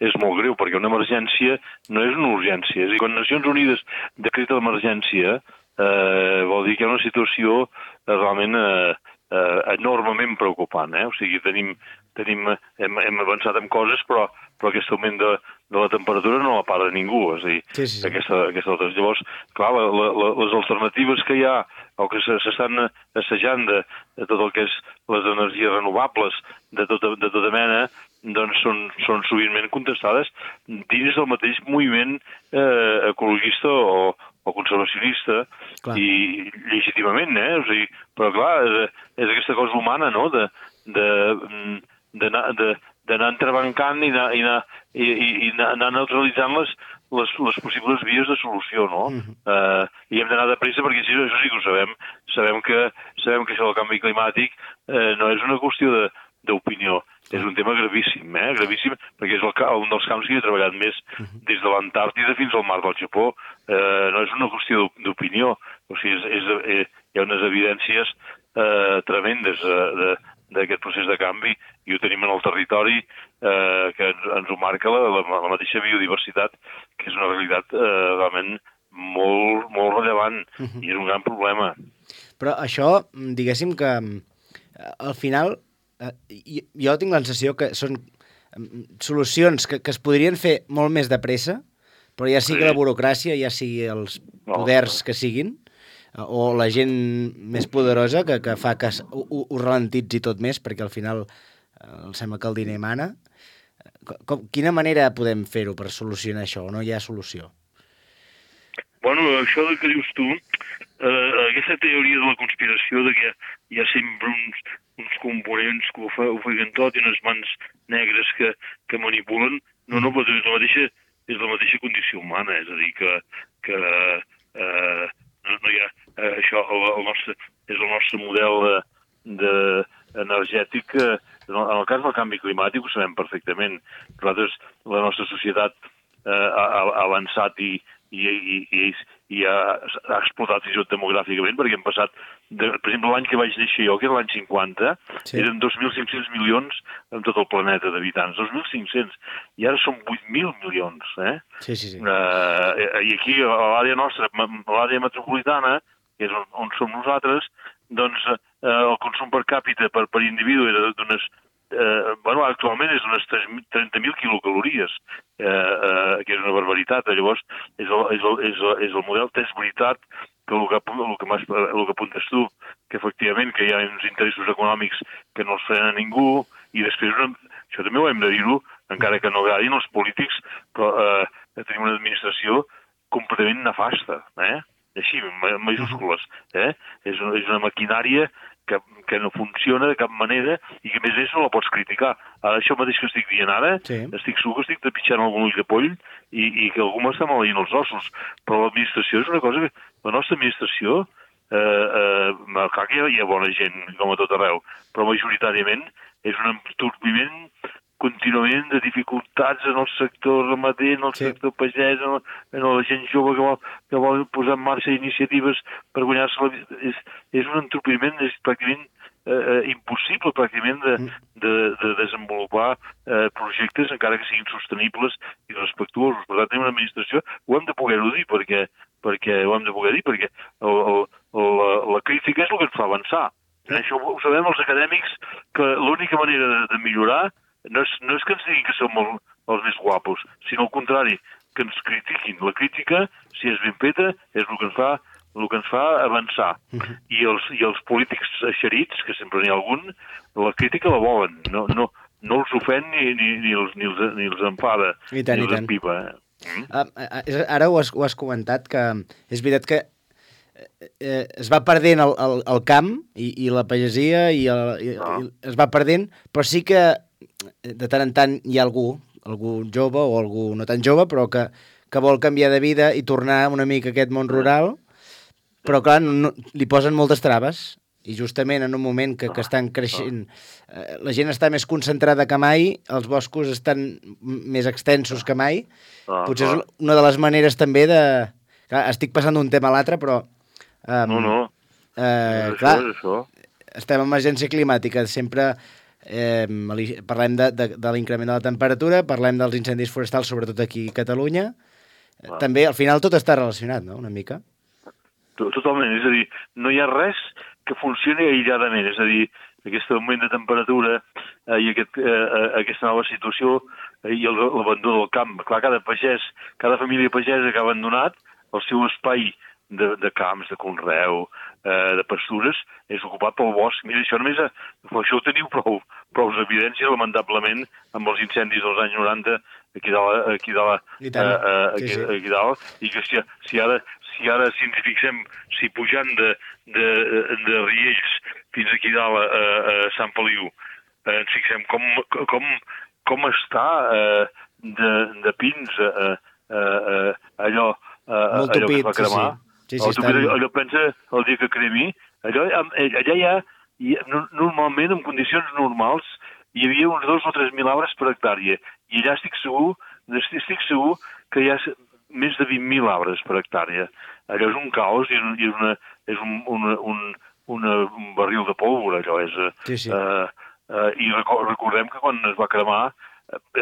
és molt greu, perquè una emergència no és una urgència. És a dir, quan Nacions Unides decreta l'emergència, eh, vol dir que hi ha una situació eh, realment eh, eh, enormement preocupant, eh? O sigui, tenim, tenim, hem, hem avançat en coses, però, però aquest augment de, de la temperatura no la para ningú, és a dir, Sí, sí, sí. aquesta, aquesta altra. Llavors, clar, la, la, les alternatives que hi ha, o que se- s'estan assajant de, de tot el que és les energies renovables, de tota, de tota mena, doncs són, són sovintment contestades dins del mateix moviment eh, ecologista o, o conservacionista, Clar. i legítimament, eh? O sigui, però clar, és, és aquesta cosa humana, no?, de, de, mm, d'anar de, d'anar entrebancant i anar, i anar, i, i, i anar anar neutralitzant les, les, les possibles vies de solució, no? Mhm. eh, I hem d'anar de pressa perquè això, això sí que ho sabem. Sabem que, sabem que això del canvi climàtic eh, no és una qüestió de d'opinió, és un tema gravíssim, eh? Gravíssim, perquè és el, ca- un dels camps que he treballat més des de l'Antàrtida fins al mar del Japó. Eh, no és una qüestió d'op- d'opinió, o sigui, és, és, eh, hi ha unes evidències eh, tremendes eh, de, d'aquest procés de canvi, i ho tenim en el territori, eh, que ens, ens ho marca la, la, la mateixa biodiversitat, que és una realitat eh, realment molt, molt rellevant, i és un gran problema. Però això, diguéssim que eh, al final, eh, jo- jo tinc la sensació que són mm, solucions que, que es podrien fer molt més de pressa, però ja sigui Sí. la burocràcia, ja sigui els No, poders que siguin, eh, o la gent més poderosa que, que fa que es- ho, ho ho ralentitzi tot més, perquè al final eh, em sembla que el diner mana. Com, com, quina manera podem fer-ho per solucionar això, o no hi ha solució? Bueno, això que dius tu, eh, aquesta teoria de la conspiració de que hi ha sempre uns, uns components que ho, fa, ho feien tot i unes mans negres que, que manipulen. No, no, però és la mateixa, és la mateixa condició humana, és a dir, que, que eh, no, no hi ha eh, això, el, el nostre, és el nostre model de, de energètic. Eh, en el cas del canvi climàtic ho sabem perfectament. Nosaltres, la nostra societat eh, ha, ha avançat i, i, i, i, i ha, ha explotat fins i tot demogràficament, perquè hem passat, de, per exemple, l'any que vaig néixer jo, que era l'any cinquanta, sí. eren dos mil cinc-cents milions en tot el planeta d'habitants, dos mil cinc-cents, i ara són vuit mil milions. Eh? Sí, sí, sí. Uh, I aquí, a l'àrea nostra, a l'àrea metropolitana, que és on, on som nosaltres, doncs uh, el consum per càpita per, per individu era d'unes Eh, bueno, actualment és d'unes trenta mil quilocalories, eh, eh, que és una barbaritat. Llavors, és el, és el, és el, és el model. És veritat que el que, el que, el que apuntes tu, que efectivament que hi ha uns interessos econòmics que no els frenen ningú, i després, això també ho hem de dir-ho, encara que no agradin els polítics, però eh, tenim una administració completament nefasta, eh? Així, en majúscules. Eh? És, una, és una maquinària que, que no funciona de cap manera i que, a més a més, no la pots criticar. Ara, això mateix que estic dient ara, sí. estic segur que estic trepitjant algun ull de poll i, i que algú m'està maleint els ossos. Però l'administració és una cosa que... La nostra administració, eh, eh, clar que hi ha bona gent, com a tot arreu, però majoritàriament és un entorpiment contínuament de dificultats en el sector ramader, en el sí. sector pagès, en, el, en la gent jove que vol, que vol posar en marxa iniciatives per guanyar-se la vida. És, és un entorpiment, és pràcticament eh, impossible pràcticament de, de, de desenvolupar eh, projectes encara que siguin sostenibles i respectuosos. Per tant, tenim una administració, ho hem de poder-ho dir, perquè, perquè ho hem de poder dir, perquè el, el, el, la, la crítica és el que ens fa avançar. Sí. Això ho sabem els acadèmics, que l'única manera de, de millorar No és, no és que ens diguin que som el, els més guapos, sinó al contrari, que ens critiquin. La crítica, si és ben feta, és el que ens fa, el que ens fa avançar. Uh-huh. I, els, I els polítics eixerits, que sempre n'hi ha algun, la crítica la volen. No, no, no els ofèn ni, ni, ni, els, ni, els, ni els enfada, I tant, ni els empipa. Mm? Uh, ara ho has, ho has comentat, que és veritat que eh, es va perdent el, el, el camp i, i la pagesia i, el, i, no. i es va perdent, però sí que de tant en tant hi ha algú, algú jove o algú no tan jove, però que, que vol canviar de vida i tornar una mica a aquest món rural, però clar, no, li posen moltes traves, i justament en un moment que, que estan creixent, eh, la gent està més concentrada que mai, els boscos estan més extensos que mai, potser és una de les maneres també de... Clar, estic passant d'un tema a l'altre, però... Um, no, no, eh, és clar, això, és això. Estem en emergència climàtica, sempre... Eh, parlem de, de, de l'increment de la temperatura, parlem dels incendis forestals, sobretot aquí a Catalunya. Ah. També, al final, tot està relacionat, no?, una mica. Totalment, és a dir, no hi ha res que funcioni aïlladament, és a dir, aquest augment de temperatura eh, i aquest, eh, aquesta nova situació eh, i l'abandó del camp. Clar, cada pagès, cada família pagesa que ha abandonat el seu espai de, de camps, de conreu, eh, de pastures, és ocupat pel bosc. Mira, això només, a, això ho teniu prou, prou evidències, lamentablement, amb els incendis dels anys noranta aquí dalt, aquí dalt, eh, eh, aquí, sí, sí. aquí dalt, i que si, si ara, si ara si ens fixem, si pujant de, de, de Riells fins aquí dalt a, a Sant Feliu, eh, ens fixem com, com, com està eh, de, de pins eh, eh, eh, allò, eh, allò que es va cremar. Sí, sí. Sí, sí, estan... Allò pensa el dia que cremi, allò, allà hi ha, hi ha, normalment, en condicions normals, hi havia uns dos o tres mil arbres per hectàrea, i allà estic segur, estic segur que hi ha més de vint mil arbres per hectàrea. Allò és un caos i és, una, és un, una, un, una, un barril de pólvora, allò és. Sí, sí. Uh, uh, I recordem que quan es va cremar,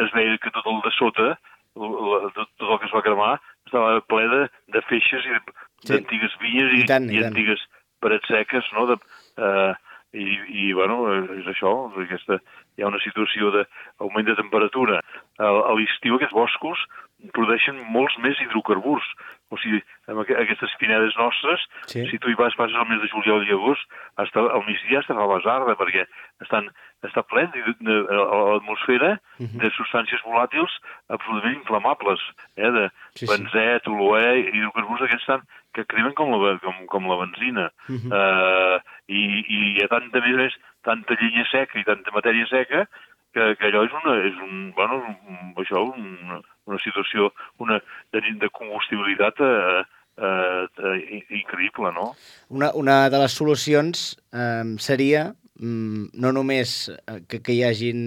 es veia que tot el de sota, tot, tot el que es va cremar, estava ple de, de feixes i de d'antigues vinyes i, I, tant, i, i antigues parets seques, no? De, uh, i, i, bueno, és això, aquesta, hi ha una situació d'augment de temperatura. A, a l'estiu aquests boscos produeixen molts més hidrocarburs. O sigui, amb aquestes pinedes nostres, sí. Si tu hi vas, passes el mes de juliol i agost, hasta al migdia estàs a la basarda, perquè estan, està ple de, de, de, a l'atmosfera uh -huh. de substàncies volàtils absolutament inflamables, eh, de sí, benzè, sí. toluè, hidrocarburs aquests estan, que cremen com la, com, com la benzina. Uh -huh. uh, i, I hi ha tanta, més, més, tanta llenya seca i tanta matèria seca que, que allò és una, és un, bueno, un, això, una, una situació una, de, de combustibilitat eh, eh, eh, increïble, no? Una, una de les solucions eh, seria mm, no només que, que hi hagin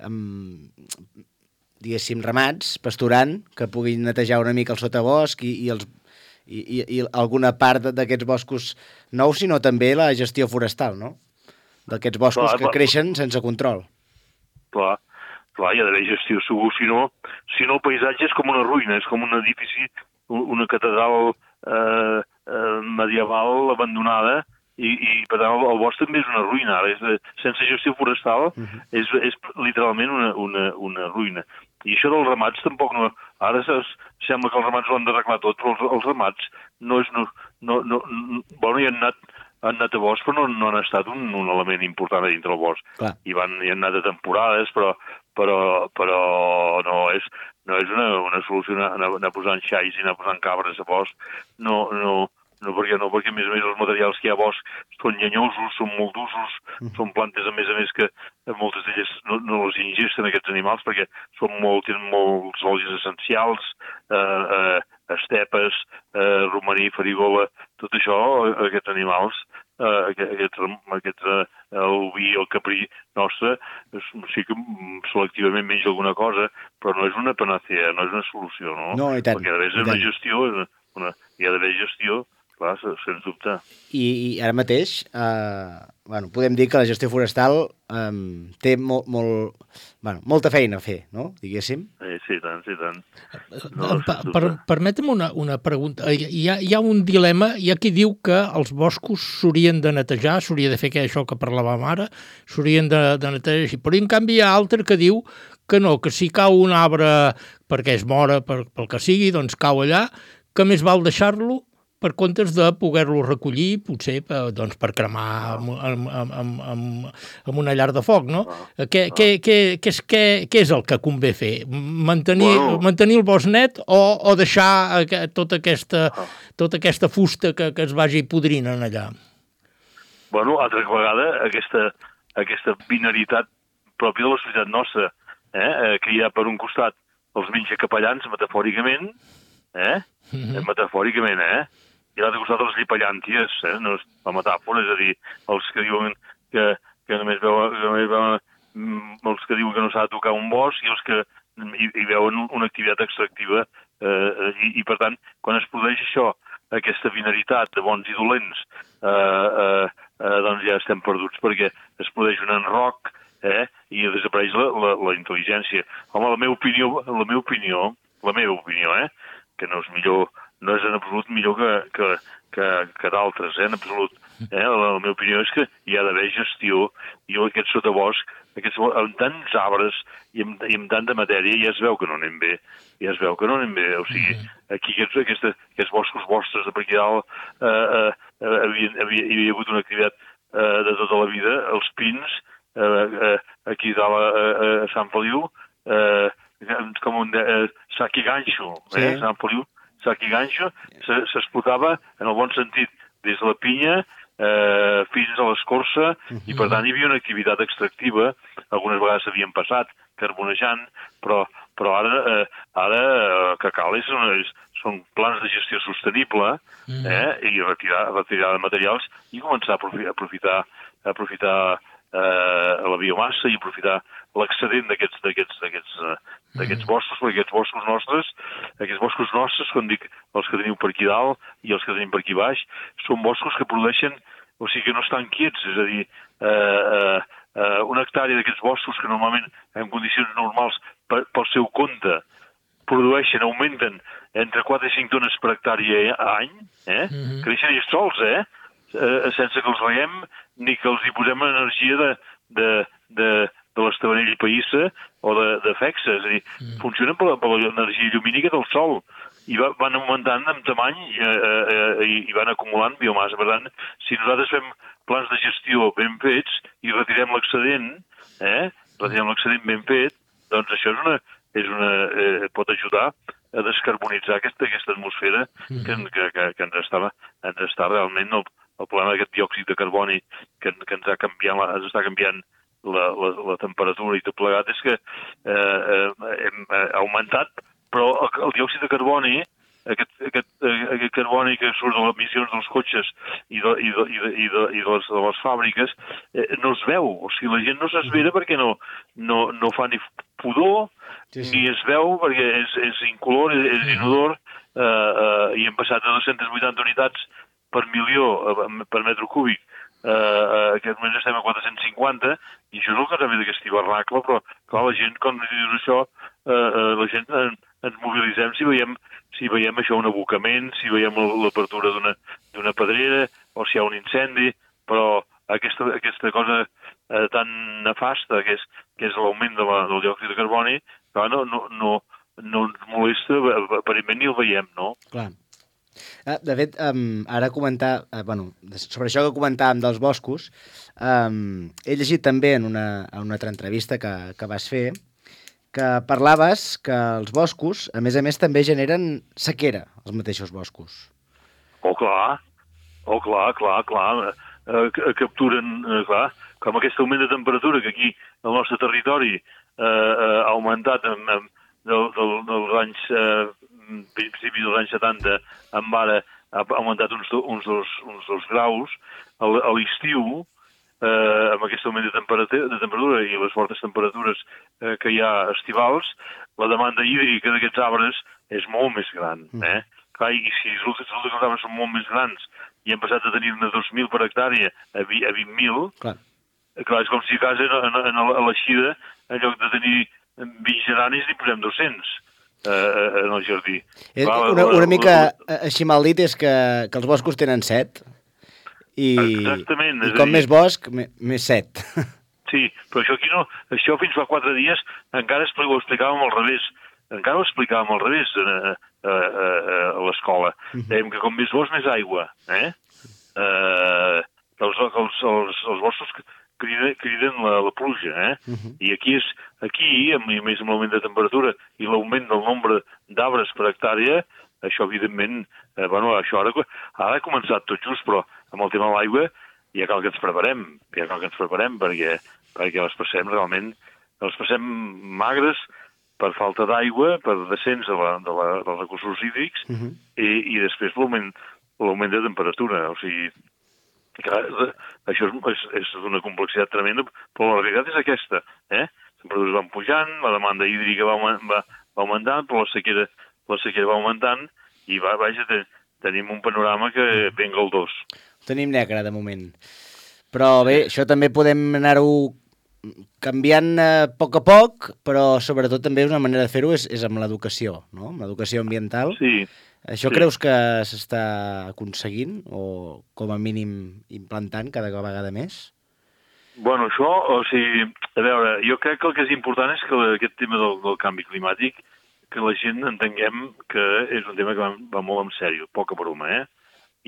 um, diguéssim ramats pasturant que puguin netejar una mica el sotabosc i, i, els, i, i, i alguna part d'aquests boscos nous, sinó també la gestió forestal, no? D'aquests boscos clar, que clar. creixen sense control. Clar, clar, hi ha d'haver gestió segur, si no, si no el paisatge és com una ruïna, és com un edifici, una catedral eh, eh, medieval abandonada i, i per tant el, el bosc també és una ruïna, ara és de, sense gestió forestal uh -huh. és, és literalment una, una, una ruïna. I això dels ramats tampoc no... Ara es, sembla que els ramats ho han d'arreglar tot, però els, els ramats no és... No, no, no, no, bueno, hi han anat han anat a bosc, però no, no han estat un, un element important a dintre del bosc. Clar. I van, hi han anat a temporades, però, però, però no és, no és una, una solució anar, anar posant xais i anar posant cabres a bosc. No, no, no, perquè no, perquè a més a més els materials que hi ha a bosc són llenyosos, són molt d'usos, mm. són plantes a més a més que moltes d'elles no, no les ingesten aquests animals perquè són molt, tenen molts olis essencials, eh, eh, estepes, eh, romaní, farigola, tot això, aquests animals, eh, aquests, aquests, eh, el vi, el caprí nostre, sí que selectivament menja alguna cosa, però no és una panacea, no és una solució, no? No, i tant. Perquè ha d'haver una gestió, una, hi ha d'haver gestió, clar, sens dubte. I, i ara mateix, eh, bueno, podem dir que la gestió forestal eh, té molt, molt, bueno, molta feina a fer, no?, diguéssim. Eh, sí, tant, sí, tant. No, per, per, permetem una, una pregunta. Hi ha, hi ha un dilema, hi ha qui diu que els boscos s'haurien de netejar, s'hauria de fer això que parlàvem ara, s'haurien de, de netejar així, però en canvi hi ha altre que diu que no, que si cau un arbre perquè es mora, per, pel que sigui, doncs cau allà, que més val deixar-lo per comptes de poder-lo recollir, potser doncs, per cremar amb, amb, amb, amb, amb una llar de foc, no? Ah, què, ah. Què, què, què, és, què, què és el que convé fer? Mantenir, bueno. mantenir el bosc net o, o deixar tota aquesta, ah. tota aquesta fusta que, que es vagi podrint en allà? Bueno, altra vegada, aquesta, aquesta binaritat pròpia de la societat nostra, eh? que hi ha per un costat els menys capellans, metafòricament, eh? Mm-hmm. metafòricament, eh? I a l'altre costat els llipallànties, eh? No és la metàfora, és a dir, els que diuen que, que només veuen, que només veuen els que diuen que no s'ha de tocar un bosc i els que hi, hi veuen una activitat extractiva eh, i, i per tant, quan es produeix això, aquesta binaritat de bons i dolents, eh, eh, eh, doncs ja estem perduts perquè es produeix un enroc eh, i desapareix la, la, la intel·ligència. Home, la meva opinió, la meva opinió, la meva opinió, eh, que no és millor, no és en absolut millor que, que, que, que d'altres, eh, en absolut. Eh? La, la meva opinió és que hi ha d'haver gestió i aquest sotabosc, aquests, amb tants arbres i amb, i amb tanta matèria ja es veu que no anem bé, ja es veu que no anem bé. O sigui, aquí aquests, aquests, aquests boscos vostres de per aquí dalt eh, eh, havia, havia, hi havia hagut una activitat eh, de tota la vida, els pins, eh, eh, aquí dalt a, a, a Sant Feliu, eh, com un eh, sac i ganxo, eh? Sí. Sant Feliu, sac i ganxo, s'explotava en el bon sentit, des de la pinya eh, fins a l'escorça, uh-huh. i per tant hi havia una activitat extractiva, algunes vegades s'havien passat carbonejant, però, però ara, eh, ara el que cal és, és, són plans de gestió sostenible uh-huh. eh, i retirar, retirar de materials i començar a aprofitar, aprofitar, aprofitar eh, la biomassa i aprofitar l'excedent d'aquests d'aquests d'aquests d'aquests boscos, perquè aquests boscos nostres, aquests boscos nostres, com dic, els que teniu per aquí dalt i els que tenim per aquí baix, són boscos que produeixen, o sigui que no estan quiets, és a dir, eh, eh, una hectàrea d'aquests boscos que normalment en condicions normals per, pel seu compte produeixen, augmenten entre quatre i cinc tones per hectàrea a any, eh? Mm-hmm. Creixen ells sols, eh? eh? Sense que els reguem ni que els hi posem energia de, de, de, de l'Estavanell i Païssa o de, de Fexa, és a dir, mm. funcionen per, per l'energia llumínica del sol i va, van augmentant en tamany eh, eh, i, i van acumulant biomassa. Per tant, si nosaltres fem plans de gestió ben fets i retirem l'excedent, eh, retirem l'excedent ben fet, doncs això és una, és una, eh, pot ajudar a descarbonitzar aquesta, aquesta atmosfera mm. que, que, que, que ens, està, ens està realment el, el problema d'aquest diòxid de carboni que, que ens, ha canviat, ens està canviant la, la, la temperatura i tot plegat, és que eh, eh, hem augmentat, però el, el diòxid de carboni, aquest, aquest, aquest carboni que surt de les emissions dels cotxes i de, i de, i de, i de, i de, les, de les fàbriques, eh, no es veu. O sigui, la gent no s'esvera perquè no, no, no fa ni pudor, sí, sí. ni es veu perquè és, és incolor, és, és inodor, eh, eh, i hem passat de dos-centes vuitanta unitats per milió, per metre cúbic, eh, uh, aquest moment estem a quatre-cents cinquanta, i això és el que també d'aquest hivernacle, però clar, la gent, quan dius això, eh, uh, la gent en, ens mobilitzem si veiem, si veiem això, un abocament, si veiem l'apertura d'una d'una pedrera, o si hi ha un incendi, però aquesta, aquesta cosa eh, tan nefasta que és, que és l'augment de la, del diòxid de carboni, clar, no, no, no, no ens molesta, aparentment ni el veiem, no? Clar. De fet, um, ara comentar, uh, bueno, sobre això que comentàvem dels boscos, um, he llegit també en una, en una altra entrevista que, que vas fer, que parlaves que els boscos, a més a més, també generen sequera, els mateixos boscos. Oh, clar, oh, clar, clar, clar, eh, capturen, eh, clar, com aquest augment de temperatura que aquí, al nostre territori, eh, eh, ha augmentat en, en, del, del, dels anys... Eh, principi dels anys setanta, amb ara ha augmentat uns, uns, dos, uns dos graus. A l'estiu, eh, amb aquest augment de temperatura, de temperatura i les fortes temperatures eh, que hi ha estivals, la demanda hídrica d'aquests arbres és molt més gran. Eh? Clar, i si resulta que els arbres són molt més grans i hem passat de tenir-ne dos mil per hectàrea a vint mil, clar. clar, és com si a casa, a, a, a l'eixida, en lloc de tenir vint geranis, n'hi posem dos-cents. Uh, en el jardí. És, Clar, una, una mica així mal dit és que, que els boscos tenen set i, Exactament, i com dir... més bosc, més set. Sí, però això aquí no, això fins fa quatre dies encara ho explicàvem al revés, encara ho explicàvem al revés a, a, a, a l'escola. Uh-huh. Dèiem que com més bosc, més aigua. Eh? Uh, els, els, els, els boscos criden, criden la, la pluja, eh? Uh-huh. I aquí, és, aquí amb, més amb l'augment de temperatura i l'augment del nombre d'arbres per hectàrea, això evidentment, eh, bueno, això ara, ara ha començat tot just, però amb el tema de l'aigua ja cal que ens preparem, ja cal que ens preparem perquè, perquè les passem realment, les passem magres per falta d'aigua, per descens de la, de la, dels recursos hídrics, uh-huh. i, i després l'augment, l'augment de temperatura, o sigui, clar, això és, és d'una complexitat tremenda, però la realitat és aquesta, eh? Les temperatures van pujant, la demanda hídrica va, va, va augmentant, però la sequera, la sequera va augmentant, i va, vaja, te, tenim un panorama que ben galdós. Tenim negre, de moment. Però bé, això també podem anar-ho canviant a poc a poc, però sobretot també una manera de fer-ho és, és amb l'educació, no? Amb l'educació ambiental. Sí. Això sí. Creus que s'està aconseguint o com a mínim implantant cada vegada més? Bueno, això, o sigui, a veure, jo crec que el que és important és que aquest tema del, del canvi climàtic, que la gent entenguem que és un tema que va, va molt en sèrio, poca broma, eh?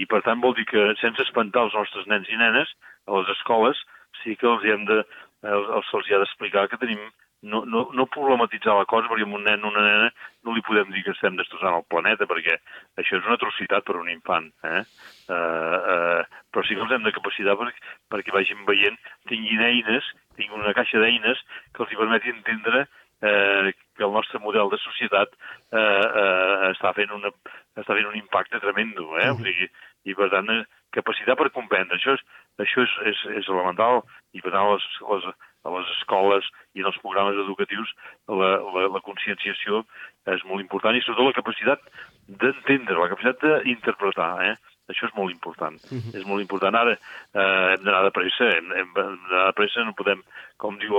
I per tant vol dir que sense espantar els nostres nens i nenes, a les escoles sí que els hi hem de, els, els hi ha d'explicar que tenim No, no, no problematitzar la cosa, perquè amb un nen o una nena no li podem dir que estem destrossant el planeta, perquè això és una atrocitat per a un infant. Eh? Uh, uh, però sí que els hem de capacitar perquè, perquè vagin veient, tinguin eines, tinguin una caixa d'eines que els hi permeti entendre uh, que el nostre model de societat uh, uh, està, fent una, està fent un impacte tremendo. Eh? O sigui, i per tant, capacitar per comprendre. Això és, això és, és, és elemental, i per tant les, les a les escoles i en els programes educatius la, la, la conscienciació és molt important, i sobretot la capacitat d'entendre, la capacitat d'interpretar, eh? Això és molt important. Uh-huh. És molt important. Ara eh, hem d'anar de pressa, hem, hem d'anar de pressa, no podem, com diu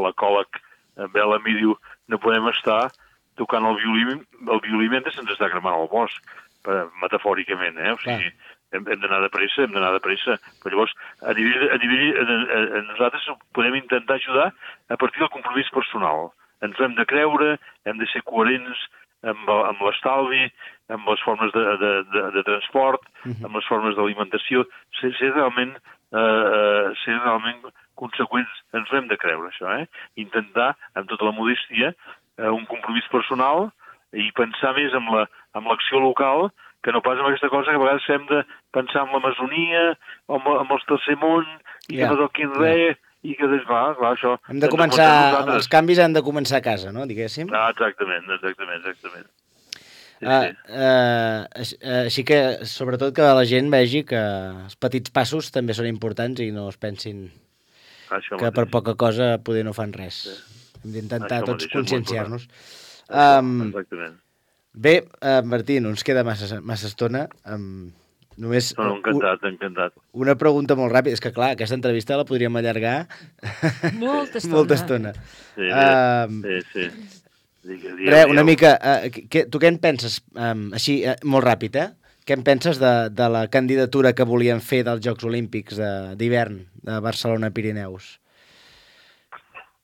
l'ecòleg Bellamy, diu, no podem estar tocant el violí, el violí mentre se'ns està cremant el bosc, metafòricament, eh? O sigui, hem, hem d'anar de pressa, hem d'anar de pressa. Però llavors, a nivell, a nivell a, a, a nosaltres podem intentar ajudar a partir del compromís personal. Ens ho hem de creure, hem de ser coherents amb, amb l'estalvi, amb les formes de, de, de, de transport, amb les formes d'alimentació, ser, ser realment eh, ser realment conseqüents. Ens ho hem de creure, això, eh? Intentar, amb tota la modestia, eh, un compromís personal i pensar més amb la, amb l'acció local que no pas amb aquesta cosa que a vegades hem de pensar en l'Amazonia, amb, amb els tercer món, i yeah. que no toquin res, i que, clar, clar, això... Hem de començar, els canvis han de començar a casa, no?, diguéssim. Ah, exactament, exactament, exactament. Sí, uh, sí. Uh, així que, sobretot, que la gent vegi que els petits passos també són importants i no es pensin això que mateix. Per poca cosa poder no fan res. Sí. Hem d'intentar tots conscienciar-nos. Um, exactament. Bé, uh, Martí, no ens queda massa, massa estona. Um, només no, no, encantat, encantat. Una pregunta molt ràpida. És que, clar, aquesta entrevista la podríem allargar molta estona. Molta estona. Sí, um, sí, sí. Digue, digue, re, una mica, uh, que, tu què en penses, um, així, uh, molt ràpid, eh? Què en penses de, de la candidatura que volien fer dels Jocs Olímpics d'hivern de, de Barcelona-Pirineus?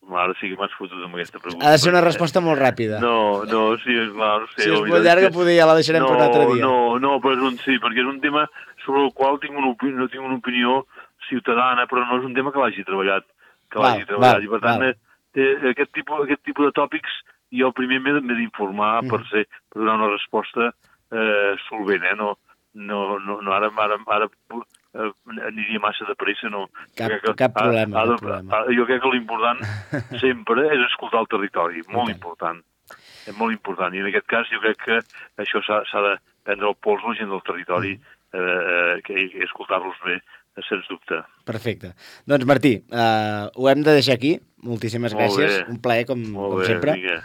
Ara sí que m'has fotut amb aquesta pregunta. Ha de ser una resposta molt ràpida. No, no, sí, és clar, no sé. Si és molt llarga, que... poder ja la deixarem no, per un altre dia. No, no, però és un sí, perquè és un tema sobre el qual tinc una opinió, no tinc una opinió ciutadana, però no és un tema que l'hagi treballat, que l'hagi treballat. Val, I per tant, té, aquest, tipus, aquest tipus de tòpics jo primer m'he d'informar mm. per, ser, per donar una resposta eh, solvent, eh? No, no, no, no ara, ara, ara eh, aniria massa de pressa, no. Cap, que, cap problema, ha, ha, cap problema. Jo crec que l'important sempre és escoltar el territori, molt okay. important. És molt important, i en aquest cas jo crec que això s'ha de prendre el pols la gent del territori mm. eh, que, i escoltar-los bé, sens dubte. Perfecte. Doncs Martí, eh, ho hem de deixar aquí. Moltíssimes molt gràcies. Bé. Un plaer, com, molt com bé, sempre. Vinga.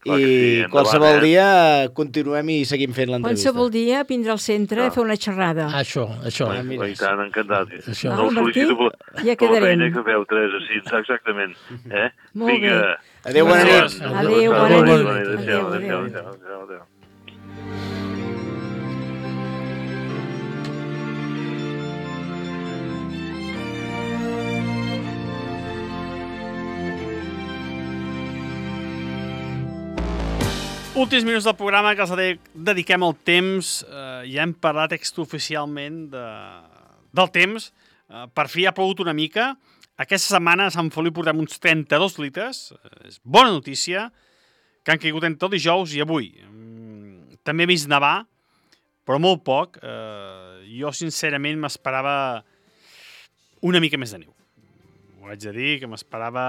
I sí, qualsevol eh? dia continuem i seguim fent l'entrevista. Qualsevol dia vindrà al centre no. a fer una xerrada. Això, això. Ah, mira, I tant, encantat. Això. No us felicito per, ja per la feina que feu, Teresa, sí, exactament. Eh? Molt Vinga. bé. Adéu, bona nit. Adéu, bona nit. Adéu, adéu, adéu, adéu. Últims minuts del programa que els dediquem al temps. Eh, ja hem parlat extraoficialment de, del temps. Eh, per fi ha plogut una mica. Aquesta setmana a Sant Feliu portem uns trenta-dos litres. Eh, és bona notícia, que han caigut entre el dijous i avui. Mm, també he vist nevar, però molt poc. Eh, jo, sincerament, m'esperava una mica més de neu. Ho haig de dir, que m'esperava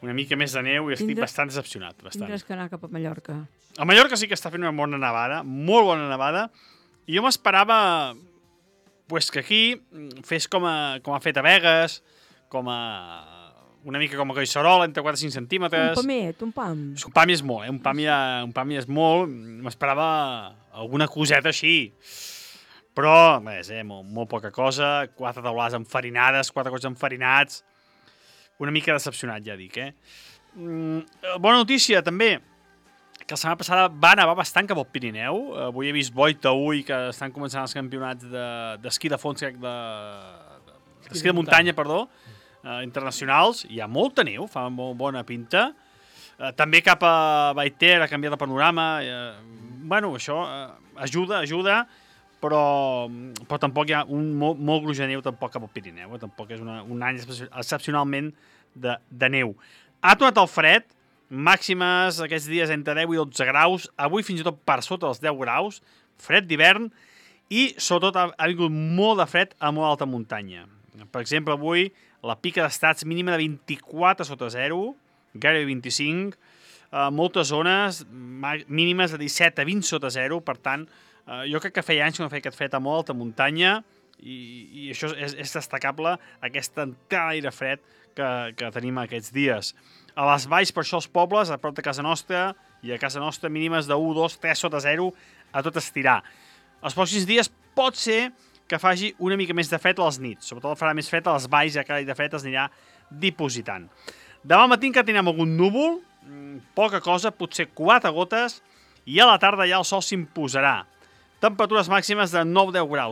una mica més de neu i estic Tindràs, bastant decepcionat. Bastant. Tindràs que anar cap a Mallorca. A Mallorca sí que està fent una bona nevada, molt bona nevada, i jo m'esperava pues, que aquí fes com, a, com ha fet a Begues, com a, una mica com a Collserola, entre quatre i cinc centímetres. Un pamet, un pam. Un pam és molt, eh? un pam ja, un pam ja és molt. M'esperava alguna coseta així. Però, res, eh? molt, molt poca cosa, quatre taulades enfarinades, quatre cotxes enfarinats. Una mica decepcionat, ja dic, eh? Mm, bona notícia, també, que la setmana passada va nevar bastant cap al Pirineu. Avui he vist Boita Ui, que estan començant els campionats d'esquí de, de fons, crec, de, d'esquí de muntanya, perdó, eh, internacionals. Hi ha molta neu, fa molt bona pinta. Eh, també cap a Baiter ha canviat de panorama. Eh, bueno, això eh, ajuda, ajuda, però, però tampoc hi ha un molt, molt gruix de neu tampoc cap al Pirineu. Eh? Tampoc és una, un any excepcionalment de, de neu. Ha tornat el fred, màximes aquests dies entre deu i dotze graus, avui fins i tot per sota dels deu graus, fred d'hivern, i sobretot ha, ha vingut molt de fred a molt alta muntanya. Per exemple, avui la pica d'estats mínima de vint-i-quatre sota zero, gairebé vint-i-cinc, eh, moltes zones mínimes de disset a vint sota zero, per tant, eh, jo crec que feia anys que no feia aquest fred a molt alta muntanya, i, i això és, és destacable, aquesta entrada d'aire fred que, que tenim aquests dies. A les valls, per això, els pobles, a prop de casa nostra, i a casa nostra mínimes de u, dos, tres sota zero, a tot estirar. Els pròxims dies pot ser que faci una mica més de fred a les nits. Sobretot farà més fred a les valls, ja que l'aire fred es anirà dipositant. Demà al matí que tenim algun núvol, poca cosa, potser quatre gotes, i a la tarda ja el sol s'imposarà. Temperatures màximes de nou a deu graus.